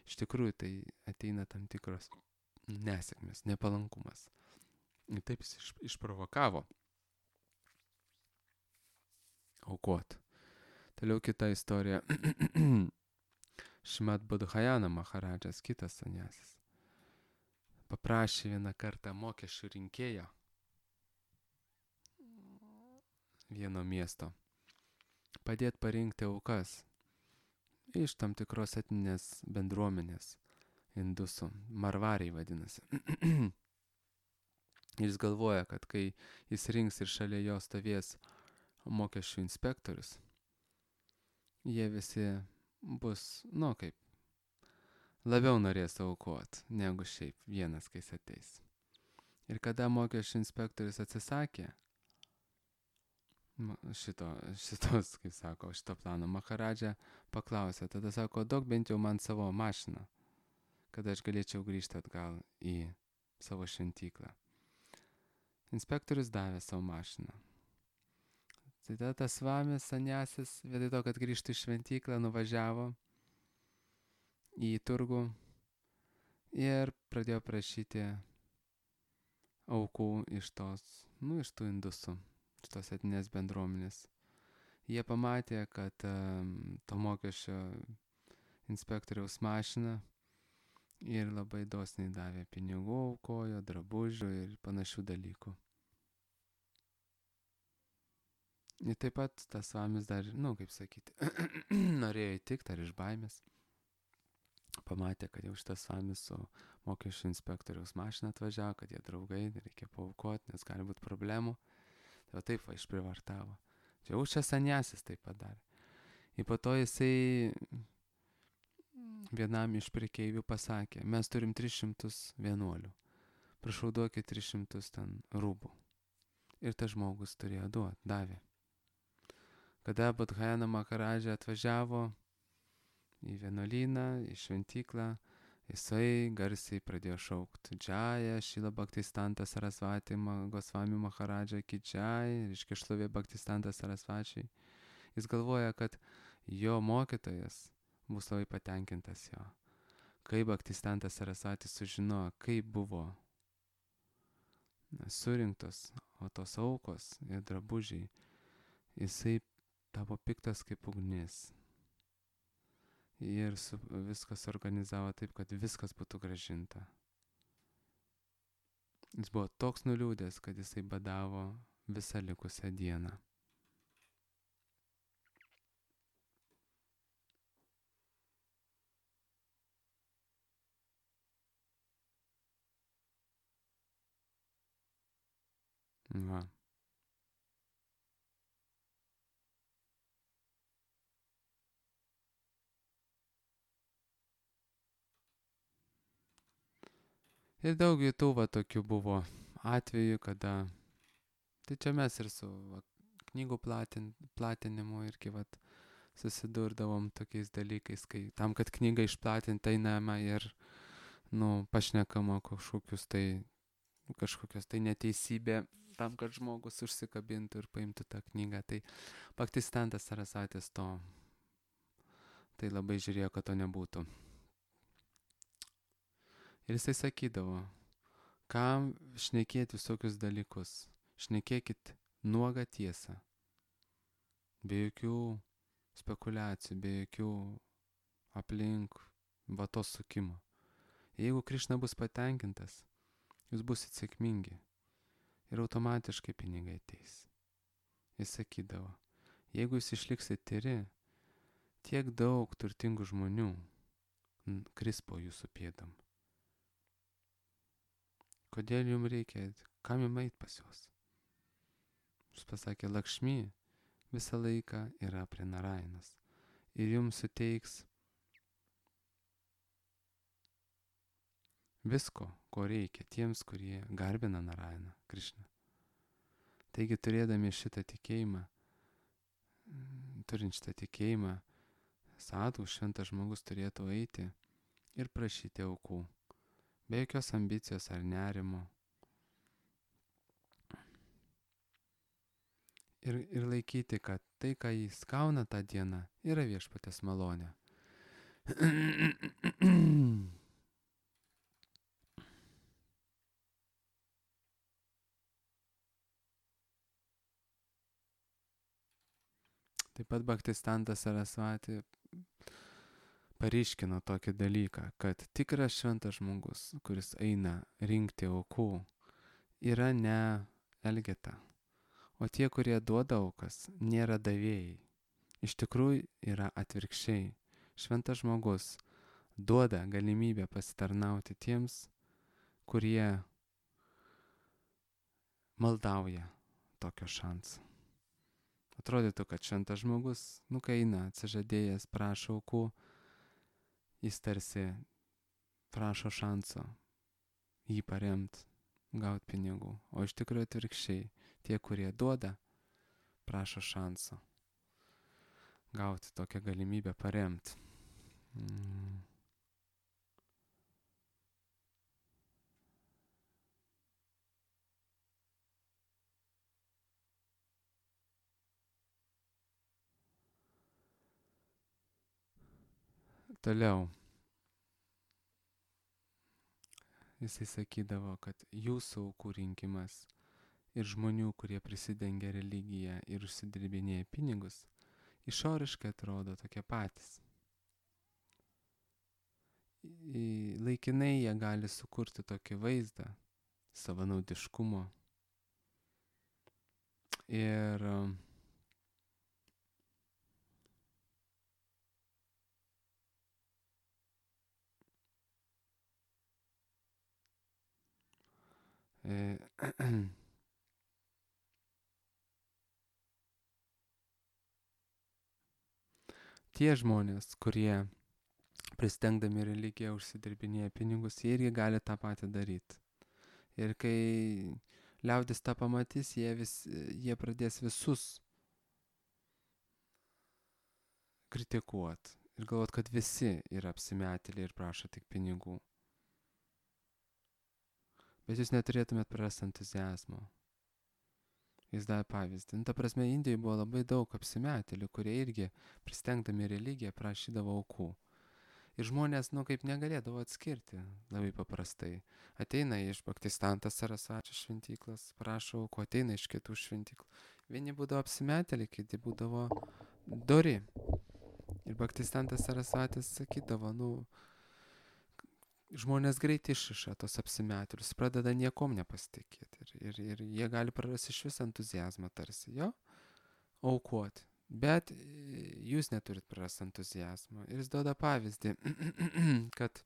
iš tikrųjų tai ateina tam tikros nesėkmės, nepalankumas. Ir taip jis išprovokavo aukot. Toliau kita istorija. Šimad Bodhayana Maharadžas, kitas sanjasis, paprašė vieną kartą mokesčių rinkėjo vieno miesto padėti parinkti aukas iš tam tikros etninės bendruomenės, indusų, marvariai vadinasi. Ir jis galvoja, kad kai jis rinks ir šalia jo stovės mokesčių inspektorius, jie visi bus, kaip, labiau norės aukot, negu šiaip vienas, kai jis ateis. Ir kada mokesčių inspektorius atsisakė šitos, kaip sako, šito plano, Maharadža paklausė, tada sako, duok bent jau man savo mašiną, kad aš galėčiau grįžti atgal į savo šventyklą. Inspektorius davė savo mašiną. Tai tada tas svamis sanjasis, vietoj to, kad grįžtų į šventyklą, nuvažiavo į turgų ir pradėjo prašyti aukų iš tų indusų, iš tos etninės bendruomenės. Jie pamatė, kad to mokesčio inspektoriaus mašina ir labai dosniai davė pinigų, aukojo, drabužių ir panašių dalykų. Ir taip pat tas svamis dar, kaip sakyti, norėjo įtikti ar iš baimės. Pamatė, kad jau šitas svamis su mokesčių inspektoriaus mašina atvažiavo, kad jie draugai, reikia paaukoti, nes gali būti problemų. Tai taip išprivartavo. Čia sanjasis taip padarė. Ir po to jisai vienam iš prekeivių pasakė, mes turim 300 vienuolių. Prašau, duokit 300 ten rūbų. Ir tas žmogus turėjo duoti, davė. Kada Bodhayana Maharadža atvažiavo į vienuolyną, į šventyklą, jisai garsiai pradėjo šaukti Džaja, Šila Bhaktistanta Sarasvati Gosvami Maharadža ki Džai, reiškia šlovė Bhaktistanta Sarasvačiai. Jis galvoja, kad jo mokytojas bus labai patenkintas jo. Kai Bhaktistantas Sarasvatis sužinojo, kaip buvo surinktos, o tos aukos ir drabužiai, jisai tapo piktas kaip ugnis. Ir viskas organizavo taip, kad viskas būtų gražinta. Jis buvo toks nuliūdęs, kad jisai badavo visą likusią dieną. Va. Ir daug kitų tokių buvo atvejų, kada Tai čia mes ir su knygų platinimu irgi susidurdavom tokiais dalykais, kai tam, kad knygą išplatinti einama ir, pašnekama kažkokios tai neteisybė, tam, kad žmogus užsikabintų ir paimtų tą knygą. Tai Bhaktistantas Sarasatis tai labai žiūrėjo, kad to nebūtų. Ir jisai sakydavo, kam šnekėti visokius dalykus, šnekėkit nuogą tiesą, be jokių spekulacijų, be jokių aplink vatos sukimo. Jeigu Krišna bus patenkintas, jūs busit sėkmingi ir automatiškai pinigai ateis. Jis sakydavo, jeigu jūs išliksit tyri, tiek daug turtingų žmonių kris po jūsų pėdom. Kodėl jums reikia, kam jums eit pas juos? Jis pasakė, Lakšmi visą laiką yra prie Narainos ir jums suteiks visko, ko reikia tiems, kurie garbina Narainą, Krišną. Taigi turėdami šitą tikėjimą, turint šitą tikėjimą, sadhu, šventas žmogus turėtų eiti ir prašyti aukų, be jokios ambicijos ar nerimo. Ir laikyti, kad tai, ką jis gauna tą dieną, yra viešpaties malonė. Taip pat Bhaktistantas Sarasvati paryškino tokį dalyką, kad tikras šventas žmogus, kuris eina rinkti aukų, yra ne elgeta. O tie, kurie duoda aukas, nėra davėjai. Iš tikrųjų yra atvirkščiai. Šventas žmogus duoda galimybę pasitarnauti tiems, kurie maldauja tokio šansą. Atrodytų, kad šventas žmogus, kai eina atsižadėjęs, prašo aukų, jis tarsi prašo šanso jį paremti, gauti pinigų. O iš tikrųjų atvirkščiai. Tie, kurie duoda, prašo šanso gauti tokią galimybę paremti. Toliau. Jisai sakydavo, kad jūsų aukų rinkimas ir žmonių, kurie prisidengia religiją ir užsidirbinėja pinigus, išoriškai atrodo tokie patys. Laikinai jie gali sukurti tokį vaizdą savanaudiškumo ir tie žmonės, kurie prisidengdami religiją užsidirbinėja pinigus, jie irgi gali tą patį daryti. Ir kai liaudis tą pamatys, jie pradės visus kritikuoti ir galvot, kad visi yra apsimetėliai ir prašo tik pinigų. Bet jūs neturėtumėt prarasti entuziazmo. Jis davė pavyzdį. Ta prasme, Indijoje buvo labai daug apsimetėlių, kurie irgi pristengdami religiją prašydavo aukų. Ir žmonės, kaip negalėdavo atskirti labai paprastai. Ateina iš Bhaktistantas Sarasvačio šventyklas, prašo aukų, ateina iš kitų šventyklų. Vieni būdavo apsimetėliai, kiti būdavo dori. Ir Bhaktistantas Sarasvatis sakydavo, žmonės greit išiša tos apsimetėlius, pradeda niekom nepasitikėti. Ir jie gali prarasti iš vis entuziazmą tarsi, aukoti. Bet jūs neturit prarasti entuziazmą. Ir jis duoda pavyzdį, kad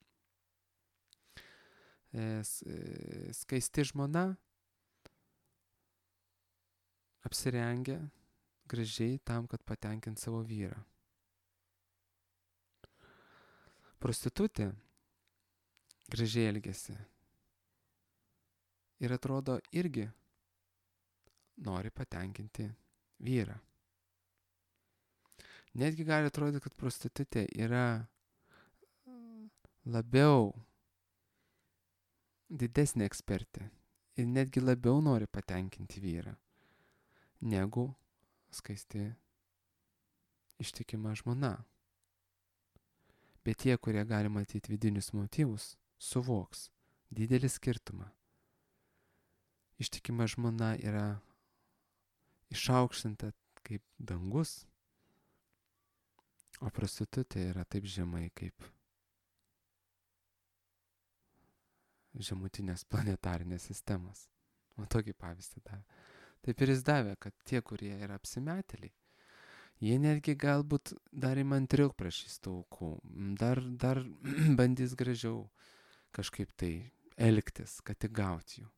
skaisti žmona apsirengia gražiai tam, kad patenkint savo vyrą. Prostitutė gražiai elgiasi ir atrodo irgi nori patenkinti vyrą. Netgi gali atrodyti, kad prostitutė yra labiau didesnė ekspertė ir netgi labiau nori patenkinti vyrą negu skaisti ištikima žmona. Bet tie, kurie gali matyti vidinius motyvus, suvoks didelį skirtumą. Ištikima žmona yra išaukštinta kaip dangus, o prostitutė yra taip žemai kaip žemutinės planetarinės sistemos. O tokį pavyzdį davė. Taip ir jis davė, kad tie, kurie yra apsimetėliai, jie netgi galbūt dar įmantriau prašys tų aukų, dar bandys gražiau kažkaip tai elgtis, kad tik gauti jų.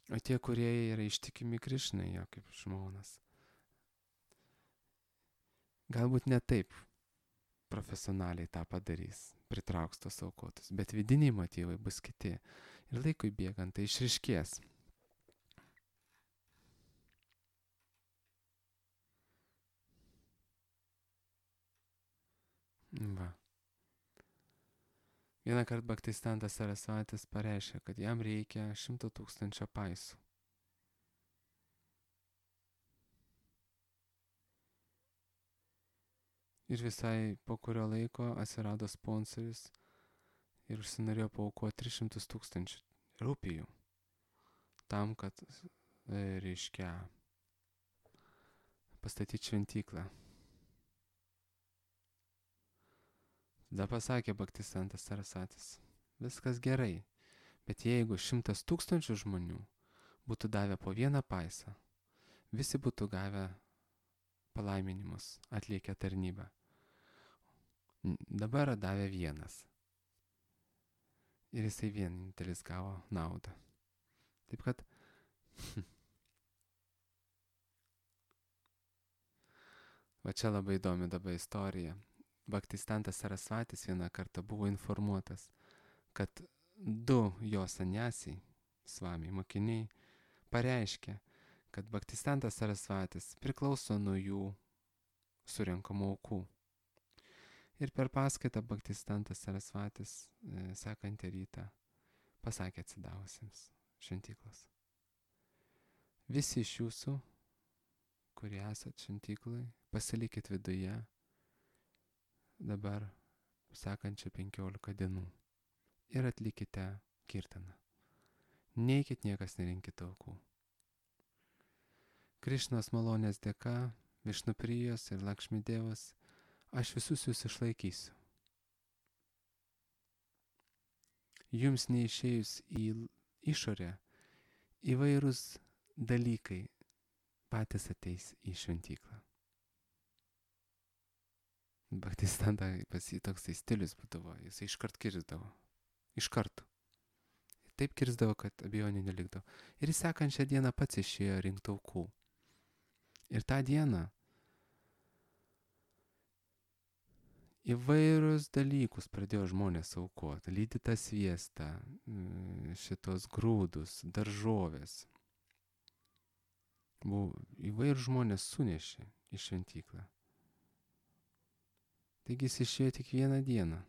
O tie, kurie yra ištikimi Krišnai, jo kaip žmonas, galbūt ne taip profesionaliai tą padarys, pritrauks tos aukotus, bet vidiniai motyvai bus kiti. Ir laikui bėgant tai išryškės. Va. Vieną kartą Bhaktistantas Sarasvatis pareiškė, kad jam reikia 100 000 paisų. Ir visai po kurio laiko atsirado sponsorius ir užsinorėjo paaukoti 300 000 rupijų tam, kad, reiškia, pastatyti šventyklą. Tada pasakė Bhaktistantas Sarasvatis, viskas gerai, bet jeigu 100 000 žmonių būtų davę po 1 paisą, visi būtų gavę palaiminimus, atlikę tarnybą. Dabar davė 1. Ir jisai vienintelis gavo naudą. Taip kad va čia labai įdomi dabar istorija. Bhaktistantas Sarasvatis vieną kartą buvo informuotas, kad 2 jo sanyasiai, svamiai mokiniai, pareiškė, kad Bhaktistantas Sarasvatis priklauso nuo jų surenkamų aukų. Ir per paskaitą Bhaktistantas Sarasvatis sekantį rytą pasakė atsidavusiems šventyklos. Visi iš jūsų, kurie esat šventyklai, pasilikit viduje dabar sekančią 15 dienų ir atlikite kirtaną. Neikit, niekas nerinkit aukų. Krišnos malonės dėka, Višnuprijos ir Lakšmi Dievas, aš visus jūs išlaikysiu. Jums neišėjus į išorę, įvairūs dalykai patys ateis į šventyklą. Bhaktistanta pas jį toksai stilius būdavo, jis iškart kirsdavo. Iš karto. Taip kirsdavo, kad abejonių nelikdavo. Ir sekančią dieną pats išėjo rinkti aukų. Ir tą dieną įvairius dalykus pradėjo žmonės aukoti. Lydytą sviestą, šitos grūdus, daržovės. Įvairius žmonės sunešė į šventyklą. Taigi jis išėjo tik 1 dieną.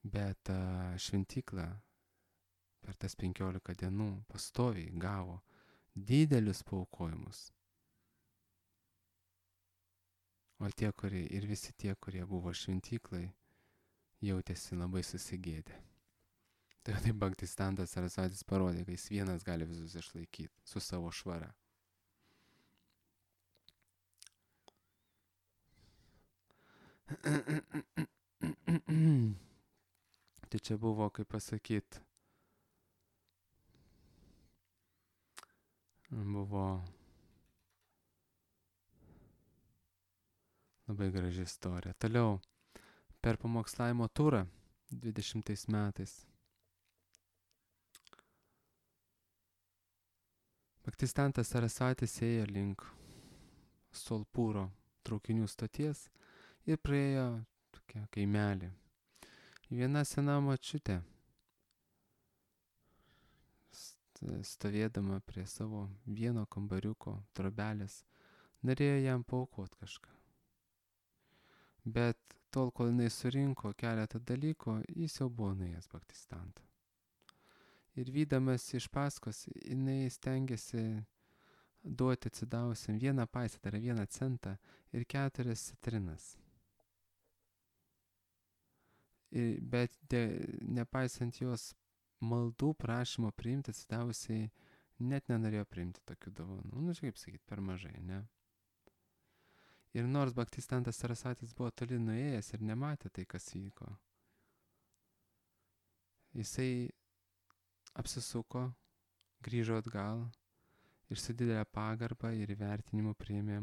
Bet šventykla per tas 15 dienų pastoviai gavo didelius paaukojimus. O tie, ir visi tie, kurie buvo šventyklai, jautėsi labai susigėdę. Tai taip Bhaktistantas Sarasvatis parodė, kad jis vienas gali visus išlaikyti su savo švara. Tai čia buvo, kaip pasakyt, buvo labai graži istorija. Toliau, per pamokslavimo turą 20 metais Bhaktistantas Sarasvatis ėjo link Solpūro traukinių stoties ir praėjo tokią kaimelį. Viena sena močiutė stovėdama prie savo vieno kambariuko trobelės, norėjo jam paaukot kažką. Bet tol, kol jinai surinko keletą dalykų, jis jau buvo nuėjęs Baktistantą. Ir vydamas iš paskos, jinai stengiasi duoti atsidavusiam vieną paisą, tai yra 1 centą ir 4 citrinas. Bet nepaisant jos maldų prašymo priimti, atsidavusiai net nenorėjo priimti tokių dovanų. Nu, kaip sakyti, per mažai, ne? Ir nors Baktistantas Sarasvatis buvo toli nuėjęs ir nematė tai, kas vyko, jisai apsisuko, grįžo atgal ir su didelė pagarba ir įvertinimu priėmė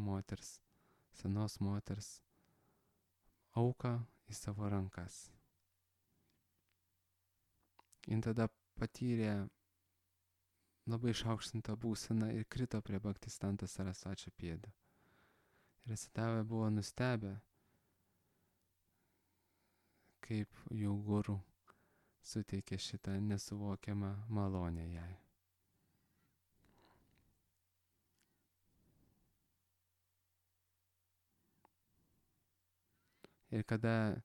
senos moters auką į savo rankas. Jis tada patyrė labai išaukštintą būseną ir krito prie Baktistanto Sarasvačio pėdų. Ir atsidavę buvo nustebę, kaip jų guru suteikė šitą nesuvokiamą malonę jai. Ir kada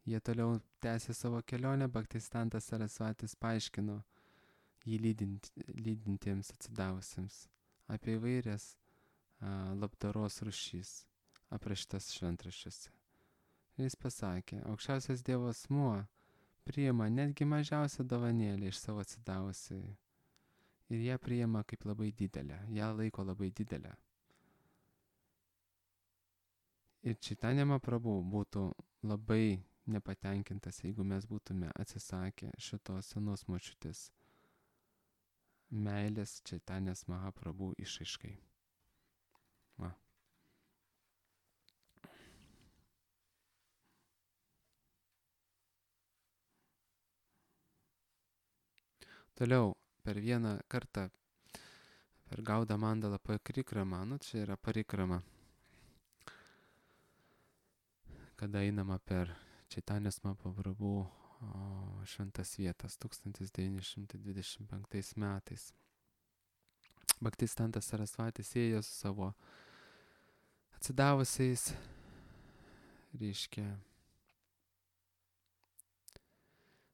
jie toliau tęsė savo kelionę, Baktistantas Sarasvatis paaiškino jį lydintiems atsidavusiems apie įvairias labdaros rūšis aprašytas šventraščiuose. Ir jis pasakė, aukščiausias Dievo asmuo priima netgi mažiausią dovanėlę iš savo atsidavusiai ir ją priima kaip labai didelę, ją laiko labai didelę. Ir Čaitanja Mahaprabhu būtų labai nepatenkintas, jeigu mes būtume atsisakę šitos senos močiutės meilės Čaitanės Mahaprabhu išraiškai. Va. Toliau, per vieną kartą, per Gaudą Mandalą Parikramą, čia yra Parikrama, kada einama per Čaitanės Mahaprabhu šventas vietas 1925 metais. Baktistantas Sarasvatis ėjo su savo atsidavusiais, reiškia,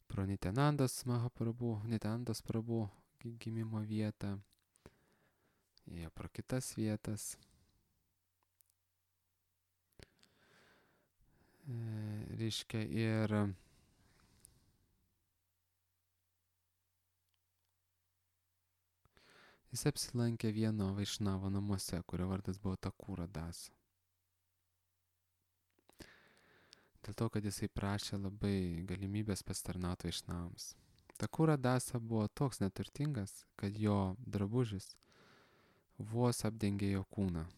pro Nityanandos Prabhu gimimo vietą, ėjo pro kitas vietas. Reiškia, ir jis apsilankė vieno vaišnavo namuose, kurio vardas buvo Thakura Dasa. Dėl to, kad jisai prašė labai galimybės pasitarnauti vaišnavams. Thakura Dasa buvo toks neturtingas, kad jo drabužis vos apdengė jo kūną.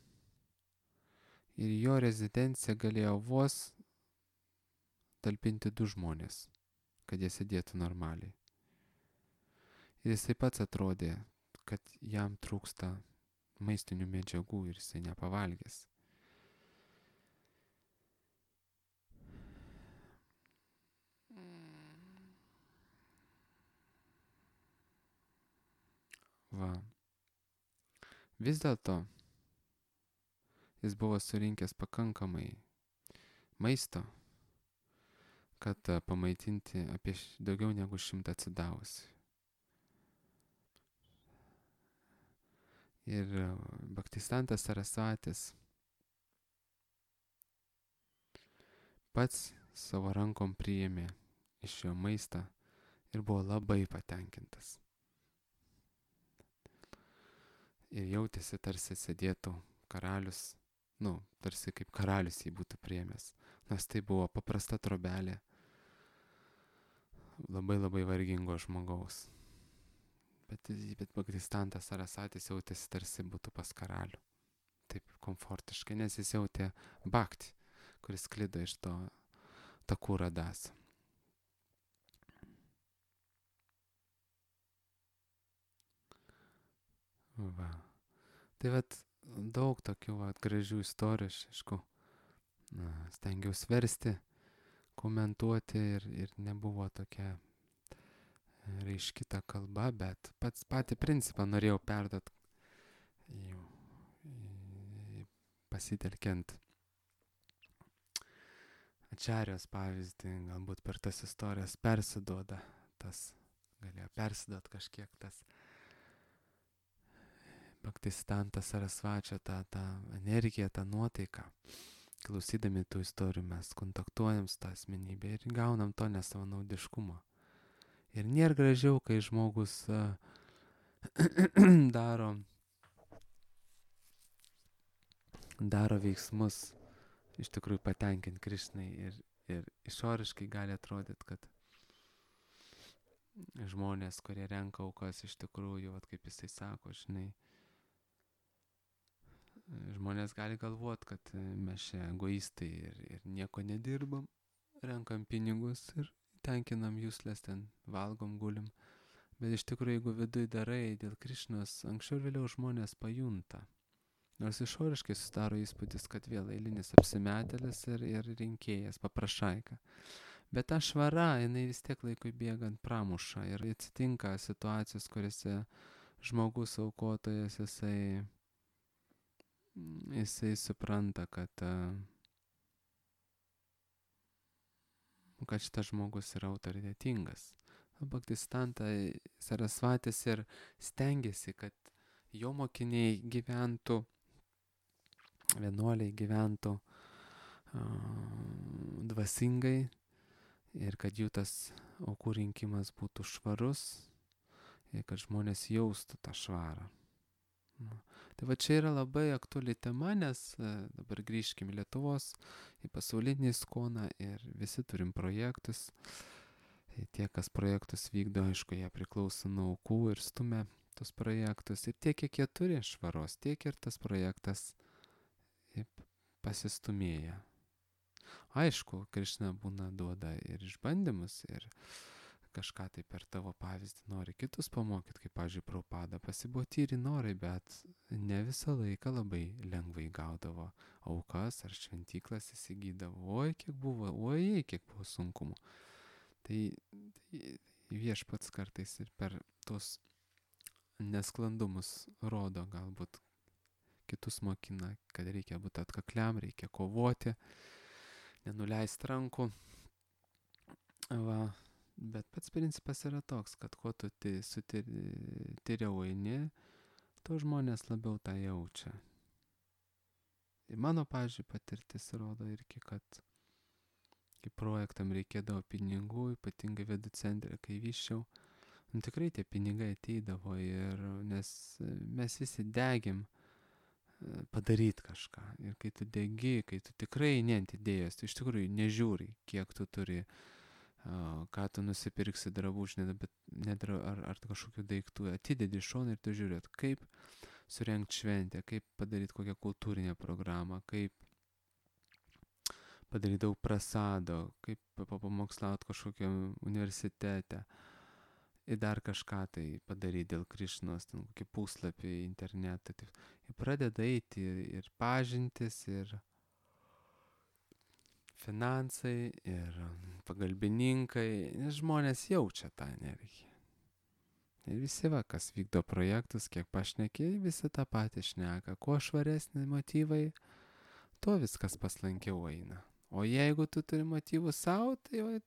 Ir jo rezidencija galėjo vos talpinti 2 žmonės, kad jie sėdėtų normaliai. Ir jisai pats atrodė, kad jam trūksta maistinių medžiagų ir jisai nepavalgęs. Va. Vis dėlto jis buvo surinkęs pakankamai maisto, kad pamaitinti apie daugiau negu 100 atsidavusių. Ir Baktistantas Sarasvatis pats savo rankom priėmė iš jo maistą ir buvo labai patenkintas. Ir jautėsi tarsi sėdėtų karalius, tarsi kaip karalius jį būtų priėmęs. Nes tai buvo paprasta trobelė labai vargingo žmogaus. Bet Baktistantas Sarasvatis jautėsi tarsi būtų pas karalių. Taip komfortiškai, nes jis jautė bhakti, kuris sklido iš to Thakura Dasa. Va. Tai daug tokių gražių istorijų, aišku, stengiausi versti, komentuoti ir nebuvo tokia reiškita kalba, bet patį principą norėjau perduoti pasitelkiant Ačarijos pavyzdį, galbūt per tas istorijas galėjo persiduot kažkiek tas Bhaktisiddhanta Sarasvačio tą energiją, tą nuotaiką. Klausydami tų istorijų mes kontaktuojam su tą asmenybę ir gaunam to nesavanaudiškumo. Ir nėra gražiau, kai žmogus daro veiksmus iš tikrųjų patenkinti Krišnai ir išoriškai gali atrodyti, kad žmonės, kurie renka aukas, iš tikrųjų, kaip jisai sako, žinai, žmonės gali galvoti, kad mes čia egoistai ir nieko nedirbam, renkam pinigus ir tenkinam jūslės, ten valgom, gulim. Bet iš tikrųjų, jeigu viduj darai dėl Krišnos, anksčiau ir vėliau žmonės pajunta. Nors išoriškai susidaro įspūdis, kad vėl eilinis apsimetėlis ir rinkėjas, paprašaika. Bet ta švara, jinai vis tiek laikui bėgant pramuša ir atsitinka situacijos, kuriuose žmogus aukotojas, jisai supranta, kad šitas žmogus yra autoritetingas. Bhaktisiddhanta Sarasvatis ir stengiasi, kad jo mokiniai gyventų, vienuoliai gyventų dvasingai ir kad jų tas aukų rinkimas būtų švarus ir kad žmonės jaustų tą švarą. Tai va čia yra labai aktuali tema, nes dabar grįžkim į Lietuvos, į pasaulinį skoną ir visi turim projektus. Tie, kas projektus vykdo, aišku, jie priklauso nuo aukų ir stumia tos projektus. Ir tiek, kiek jie turi švaros, tiek ir tas projektas pasistumėja. Aišku, Krišna būna duoda ir išbandymus, ir kažką tai per tavo pavyzdį nori kitus pamokyti, kaip, pavyzdžiui, Prabhupada. Pasibuvo tyri norai, bet ne visą laiką labai lengvai gaudavo aukas ar šventyklas įsigydavo. Kiek buvo sunkumų. Tai viešpats kartais ir per tos nesklandumus rodo, galbūt kitus mokina, kad reikia būti atkakliam, reikia kovoti, nenuleisti rankų. Bet pats principas yra toks, kad kuo tu tyriau eini, tuo žmonės labiau tą jaučia. Ir mano, pavyzdžiui, patirtis rodo irgi, kad kai projektam reikėdavo pinigų, ypatingai Vedų centre, kai vyščiau, tikrai tie pinigai ateidavo, nes mes visi degėm padaryti kažką. Ir kai tu degi, kai tu tikrai ant idėjos, tu iš tikrųjų nežiūri, kiek tu turi, ką tu nusipirksi drabužį, ar kažkokių daiktų, atidedi šoną ir tu žiūrėt, kaip surengti šventę, kaip padaryti kokią kultūrinę programą, kaip padaryti daug prasado, kaip pamokslauti kažkokiam universitete ir dar kažką tai padaryti dėl Krišnos, ten kokį puslapį internetą. Ir pradeda eiti ir pažintis, ir finansai, ir pagalbininkai, nes žmonės jaučia tą energiją. Ir visi, kas vykdo projektus, kiek pašnekėjai, visi tą patį šneka. Kuo švaresni motyvai, tuo viskas paslankiau eina. O jeigu tu turi motyvų savo, tai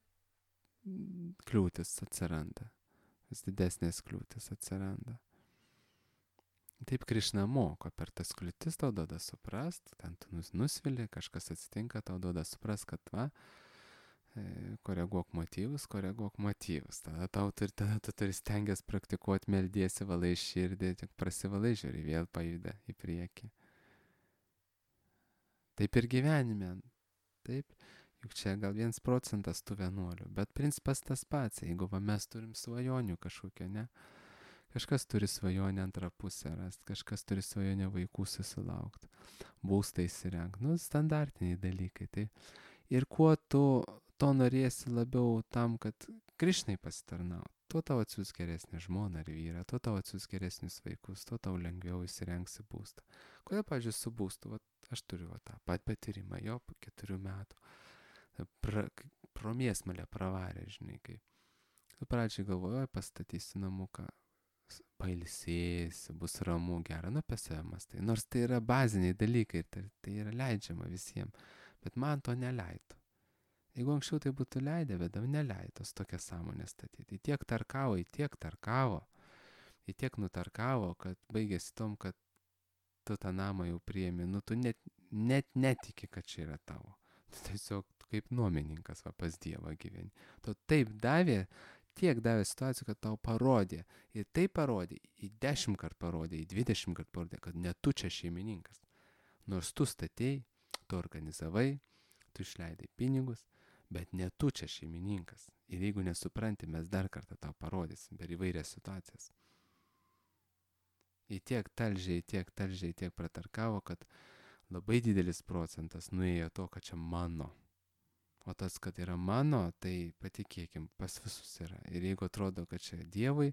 kliūtis atsiranda. Vis didesnės kliūtis atsiranda. Taip Krišna moko, per tas kliūtis tau duoda suprast, ten tu nusvili, kažkas atsitinka, tau duoda suprast, kad koreguok motyvus. Tada tu turi stengiasi praktikuoti, meldiesi, valai širdį, tik prasivalai, žiūri, vėl pajuda į priekį. Taip ir gyvenime. Taip, juk čia gal 1% tų vienuolių, bet principas tas pats, jeigu mes turim svajonių kažkokią, ne? Kažkas turi svajonę antrą pusę rasti, kažkas turi svajonę vaikų susilaukti, būstą įsirengti, standartiniai dalykai. Tai. Ir kuo tu to norėsi labiau tam, kad Krišnai pasitarnauti, tuo tau atsiūs geresnį žmoną ar vyrą, tuo tau atsiūs geresnius vaikus, tuo tau lengviau įsirengsi būstą. Kodėl, pavyzdžiui, su būstu? Aš turiu tą patyrimą jo po 4 metų. Pro mėsmalę pravarė, žinai, kai Tu pradžiai galvoji, pastatysi namuką, pailsėsi, bus ramu, gera, apie save mąstai. Nors tai yra baziniai dalykai, tai yra leidžiama visiems, bet man to neleido. Jeigu anksčiau tai būtų leidę, bet dabar neleidos tokią sąmonę statyti. Į tiek nutarkavo, kad baigėsi tom, kad tu tą namą jau priemi, tu net netiki, kad čia yra tavo. Tu tiesiog kaip nuomininkas pas Dievą gyveni. Tu taip tiek davė situacijų, kad tau parodė. Ir tai parodė, į 10 kart parodė, į 20 kart parodė, kad ne tu čia šeimininkas. Nors tu statėjai, tu organizavai, tu išleidai pinigus, bet ne tu čia šeimininkas. Ir jeigu nesupranti, mes dar kartą tau parodysim per įvairias situacijas. Į tiek pratarkavo, kad labai didelis procentas nuėjo to, kad čia mano. O tas, kad yra mano, tai patikėkim, pas visus yra. Ir jeigu atrodo, kad čia Dievui,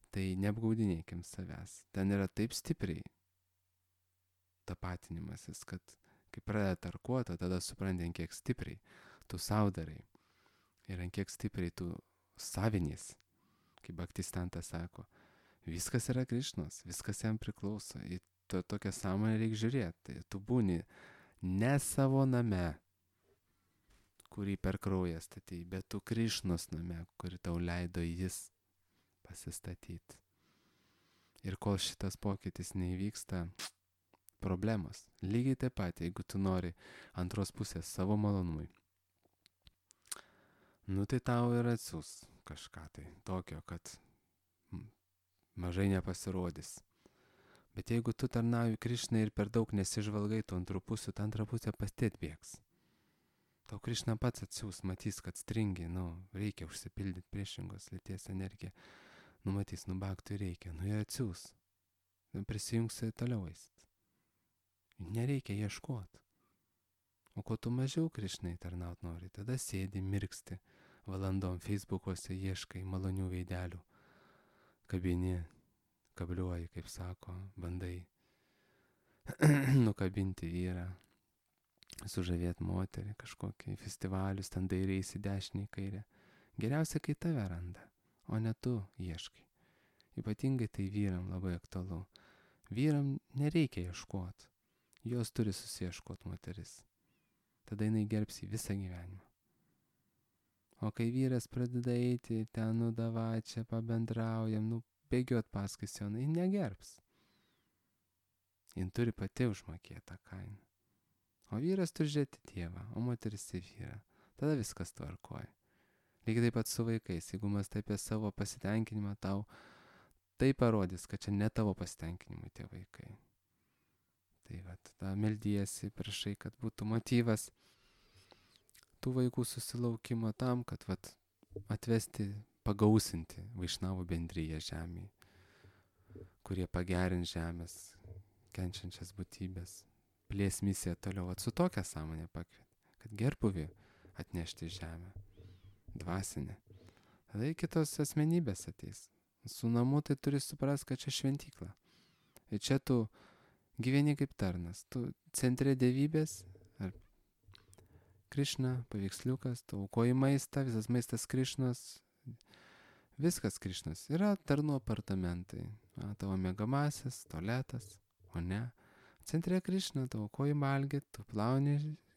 tai neapgaudinėkim savęs. Ten yra taip stipriai tapatinimasis, kad kai pradeda tarkuoti, tada supranti, ant kiek stipriai tu saudarai. Ir ant kiek stipriai tu savinys. Kaip Bhaktistantas sako, viskas yra Krišnos, viskas jam priklauso. Į tokią sąmonę reikia žiūrėti. Tai tu būni ne savo name, kurį per kraują statei, bet tu Krišnos name, kurį tau leido jis pasistatyti. Ir kol šitas pokytis neįvyksta, problemos. Lygiai taip pat, jeigu tu nori antros pusės savo malonumui, tai tau ir atsiūs kažką tai tokio, kad mažai nepasirodys. Bet jeigu tu tarnauji Krišnai ir per daug nesižvalgai tų antrų pusių, ta antra pusė pati atbėgs. Tau Krišna pats atsiūs, matys, kad stringi, reikia užsipildyti priešingos lyties energiją. Matys, baktui reikia, ir atsiūs. Prisijungsi toliau eisit. Nereikia ieškoti. O ko tu mažiau Krišnai tarnaut nori, tada sėdi, mirksti, valandom Facebook'uose ieškai malonių veidelių. Kabini, kabliuoji, kaip sako, bandai nukabinti vyrą, sužavėti moterį, kažkokį festivalius, ten dairiais į dešinį, į kairę. Geriausia, kai tave randa, o ne tu ieškai. Ypatingai tai vyram labai aktualu. Vyram nereikia ieškoti, jos turi susiieškoti moteris. Tada jinai gerbs jį visą gyvenimą. O kai vyras pradeda eiti, ten davai, čia pabendraujam, bėgiot paskui sioną, jis negerbs. Jis turi pati užmokėti tą kainą. O vyras turi žiūrėti Dievą, o moteris į vyrą. Tada viskas tvarkoja. Lygiai taip pat su vaikais. Jeigu mąstai apie savo pasitenkinimą, tau tai parodys, kad čia ne tavo pasitenkinimui tie vaikai. Tai tada meldiesi, prašai, kad būtų motyvas tų vaikų susilaukimo tam, kad atvesti, pagausinti Vaišnavų bendriją žemėje, kurie pagerins žemės, kenčiančias būtybės. Plės misiją toliau, su tokia sąmonė pakvietė, kad gerbuvį atnešti į žemę, dvasinę. Tada kitos asmenybės ateis. Su namu tai turi suprasti, kad čia šventykla. Ir čia tu gyveni kaip tarnas. Tu centre dievybės, ar Krišna, paveiksliukas, tu aukoji maistą, visas maistas Krišnos, viskas Krišnos. Yra tarnų apartamentai, tavo mėgamasis, tualetas, o ne. Centre Krišna, tu aukoji valgyt, tu plauni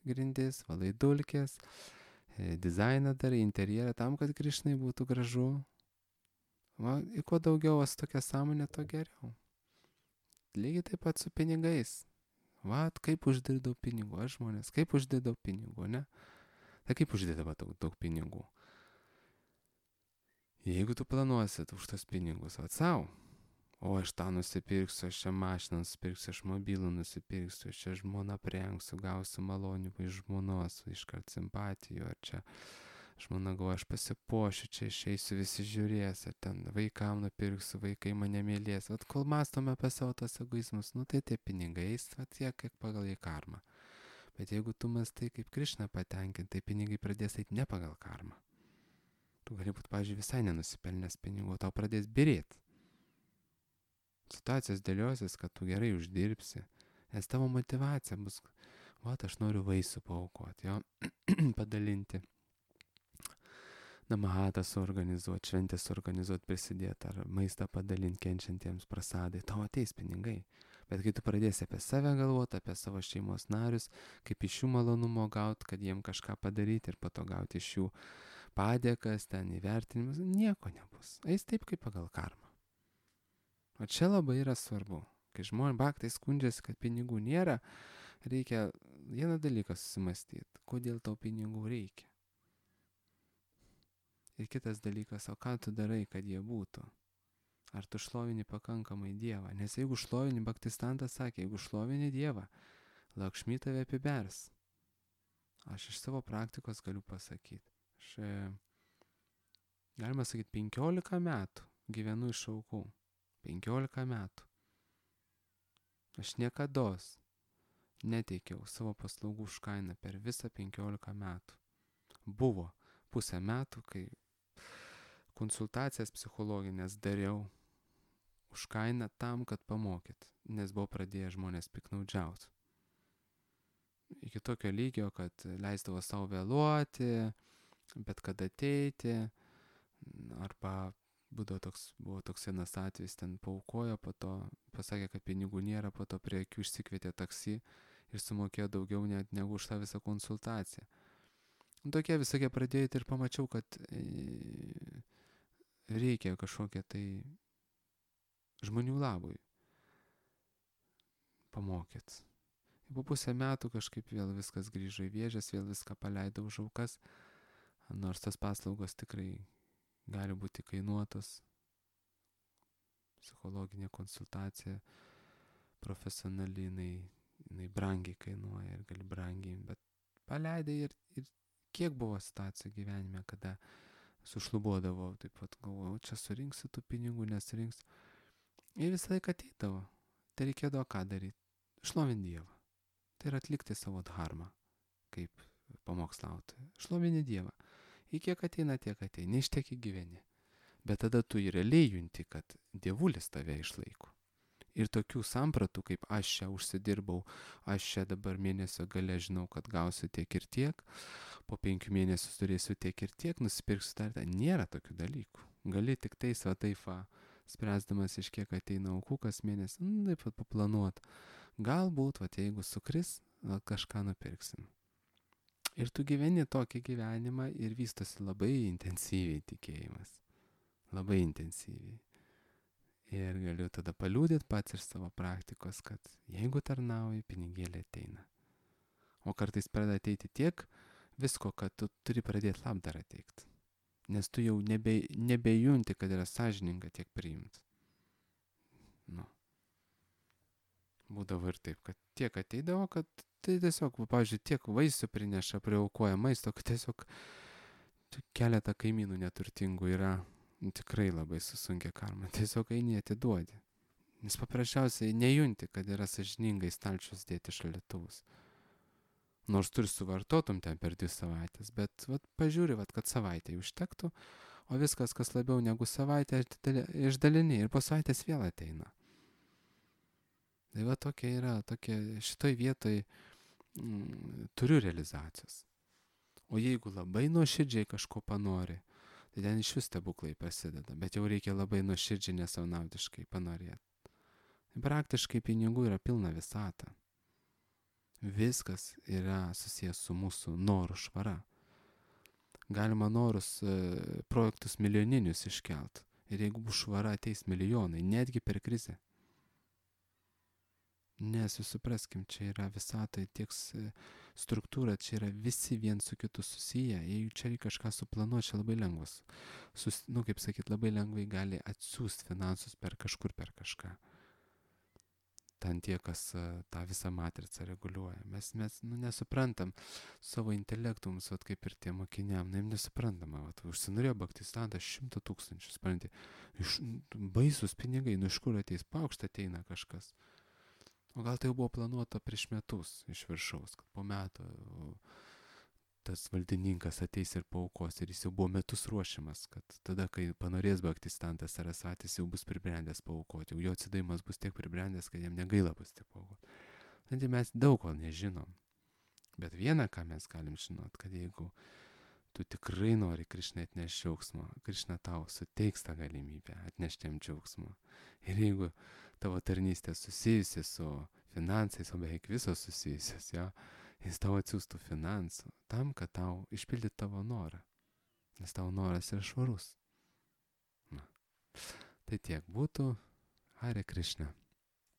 grindis, valai dulkės, dizainą darai, interjerą tam, kad Krišnai būtų gražu. Ir kuo daugiau tokia sąmonė, to geriau. Lygiai taip pat su pinigais. Kaip uždirbdavau pinigų, aš žmonės, kaip uždirbdavau pinigų, ne? Tai kaip uždirbdavau daug pinigų? Jeigu tu planuosi už tos pinigus, savo, o aš tą nusipirksiu, aš čia mašiną nusipirksiu, aš mobilų nusipirksiu, aš čia žmoną prengsiu, gausiu malonių iš žmonos, iškart simpatijų, ar čia žmona galvoja, aš pasipuošiu, čia išeisiu, visi žiūrės, ar ten vaikam nupirksiu, vaikai mane mylės. Kol mąstome apie savo tos egoizmus, tai tie pinigai, tiek, kiek pagal į karmą. Bet jeigu tu mąstai kaip Krišna patenkinti, tai pinigai pradės eiti ne pagal karmą. Tu gali būti, pavyzdžiui, visai nenusipelnęs pinigų, tau pradės birėti. Situacijos dėliosis, kad tu gerai uždirbsi, nes tavo motivacija bus, aš noriu vaisių paaukoti, padalinti namahatą suorganizuoti, šventę suorganizuoti, prisidėti ar maistą padalinti kenčiantiems prasadai, tau ateis pinigai. Bet kai tu pradėsi apie save galvoti, apie savo šeimos narius, kaip iš jų malonumo gauti, kad jiem kažką padaryti ir po to gauti iš jų padėkas, ten įvertinimus, nieko nebus. Eis taip kaip pagal karmą. O čia labai yra svarbu. Kai žmonės baktai skundžiasi, kad pinigų nėra, reikia vieną dalyką susimastyti. Kodėl tau pinigų reikia? Ir kitas dalykas, o ką tu darai, kad jie būtų? Ar tu šlovini pakankamai Dievą? Nes jeigu šlovini, Bhaktistantas sakė, jeigu šlovini Dievą, Lakšmi tave apibers. Aš iš savo praktikos galiu pasakyti. Aš, galima sakyti, 15 metų gyvenu iš aukų. 15 metų. Aš niekados neteikiau savo paslaugų už kainą per visą 15 metų. Buvo pusę metų, kai konsultacijas psichologinės dariau už kainą tam, kad pamokyt, nes buvo pradėję žmonės piknaudžiauti. Iki tokio lygio, kad leisdavo savo vėluoti, bet kad ateiti, arba buvo toks vienas atvejis, ten paaukojo, po to pasakė, kad pinigų nėra, po to prie akių išsikvietė taksi ir sumokėjo daugiau net negu už tą visą konsultaciją. Tokie visokie pradėjo ir pamačiau, kad reikia kažkokia tai žmonių labui pamokyt. Po pusę metų kažkaip vėl viskas grįžo į vėžes, vėl viską paleidau už aukas, nors tas paslaugos tikrai gali būti kainuotos. Psichologinė konsultacija profesionali, jinai brangiai kainuoja ir gali brangiai, bet paleidai ir kiek buvo situacijų gyvenime, kada sušlubuodavau, taip pat galvojau, čia surinksiu tų pinigų, nesurinksiu. Ir visą laiką ateidavo. Tai reikėdavo ką daryti? Šlovinti Dievą. Tai yra atlikti savo dharmą, kaip pamokslautoja. Šlovinti Dievą. Į kiek ateina, tiek ateina. Iš tiek gyveni. Bet tada tu ir realiai junti, kad Dievulis tave išlaiko. Ir tokių sampratų, kaip aš čia užsidirbau, aš čia dabar mėnesio gale žinau, kad gausiu tiek ir tiek, po 5 mėnesių turėsiu tiek ir tiek, nusipirksiu dar, nėra tokių dalykų. Gali tik tai svataifa, spręsdamas iš kiek ateina aukų kas mėnesį, taip pat paplanuot. Galbūt, jeigu sukris, kažką nupirksim. Ir tu gyveni tokį gyvenimą ir vystosi labai intensyviai tikėjimas. Labai intensyviai. Ir galiu tada paliūdėti pats iš savo praktikos, kad jeigu tarnauji, pinigėlė ateina. O kartais pradeda ateiti tiek visko, kad tu turi pradėti labdarą teikti. Nes tu jau nebejunti, kad yra sąžininga tiek priimti. Būdavo ir taip, kad tiek ateidavo, kad tai tiesiog, pavyzdžiui, tiek vaisių prineša, priaukoja maisto, kad tiesiog keletą kaimynų neturtingų yra tikrai labai susunkia karma. Tiesiog eini atiduodi. Nes paprasčiausiai nejunti, kad yra sąžiningai stalčius dėti šaldytuvus. Nors tu ir suvartotum ten per 2 savaitės, bet pažiūri, kad savaitę užtektų, o viskas, kas labiau negu savaitę, išdalini ir po savaitės vėl ateina. Tai tokia yra, šitoj vietoj turiu realizacijos. O jeigu labai nuoširdžiai kažko panori, tai ten iš vis stebuklai prasideda, bet jau reikia labai nuoširdžiai nesaunaudiškai panorėti. Praktiškai pinigų yra pilna visata. Viskas yra susijęs su mūsų norų švara. Galima norus, projektus milijoninius iškelt. Ir jeigu bus švara, ateis milijonai, netgi per krizę. Nes jūs supraskim, čia yra visatai tiek struktūra, čia yra visi vien su kitu susiję. Jeigu čia reikia kažką suplanuoti, čia labai lengvas. Labai lengvai gali atsiųsti finansus per kažką. Ten tie, kas tą visą matricą reguliuoja. Mes nesuprantam savo intelektų, mums kaip ir tie mokiniam, nesuprantama. Užsinorėjo Bhaktistantas 100 000, supranti, baisus pinigai, iš kur ateis, paukštą ateina kažkas. O gal tai jau buvo planuota prieš metus iš viršaus, kad po metų tas valdininkas ateis ir paaukos ir jis jau buvo metus ruošiamas, kad tada, kai panorės Bhaktistantas Sarasvatis, jau bus pribrendęs paaukoti, jau jo atsidavimas bus tiek pribrendęs, kad jam negaila bus tiek paaukoti. Tai mes daug ko nežinom, bet vieną, ką mes galim žinot, kad jeigu tu tikrai nori Krišnai atnešti džiaugsmo, Krišna tau suteiks tą galimybę atnešti jam džiaugsmo. Ir jeigu tavo tarnystė susijusi su finansais, o beveik visos susijusios, jo, jis tau atsiųstų finansų tam, kad tau išpildytų tavo norą. Nes tavo noras yra švarus. Na. Tai tiek būtų. Hare Krishna.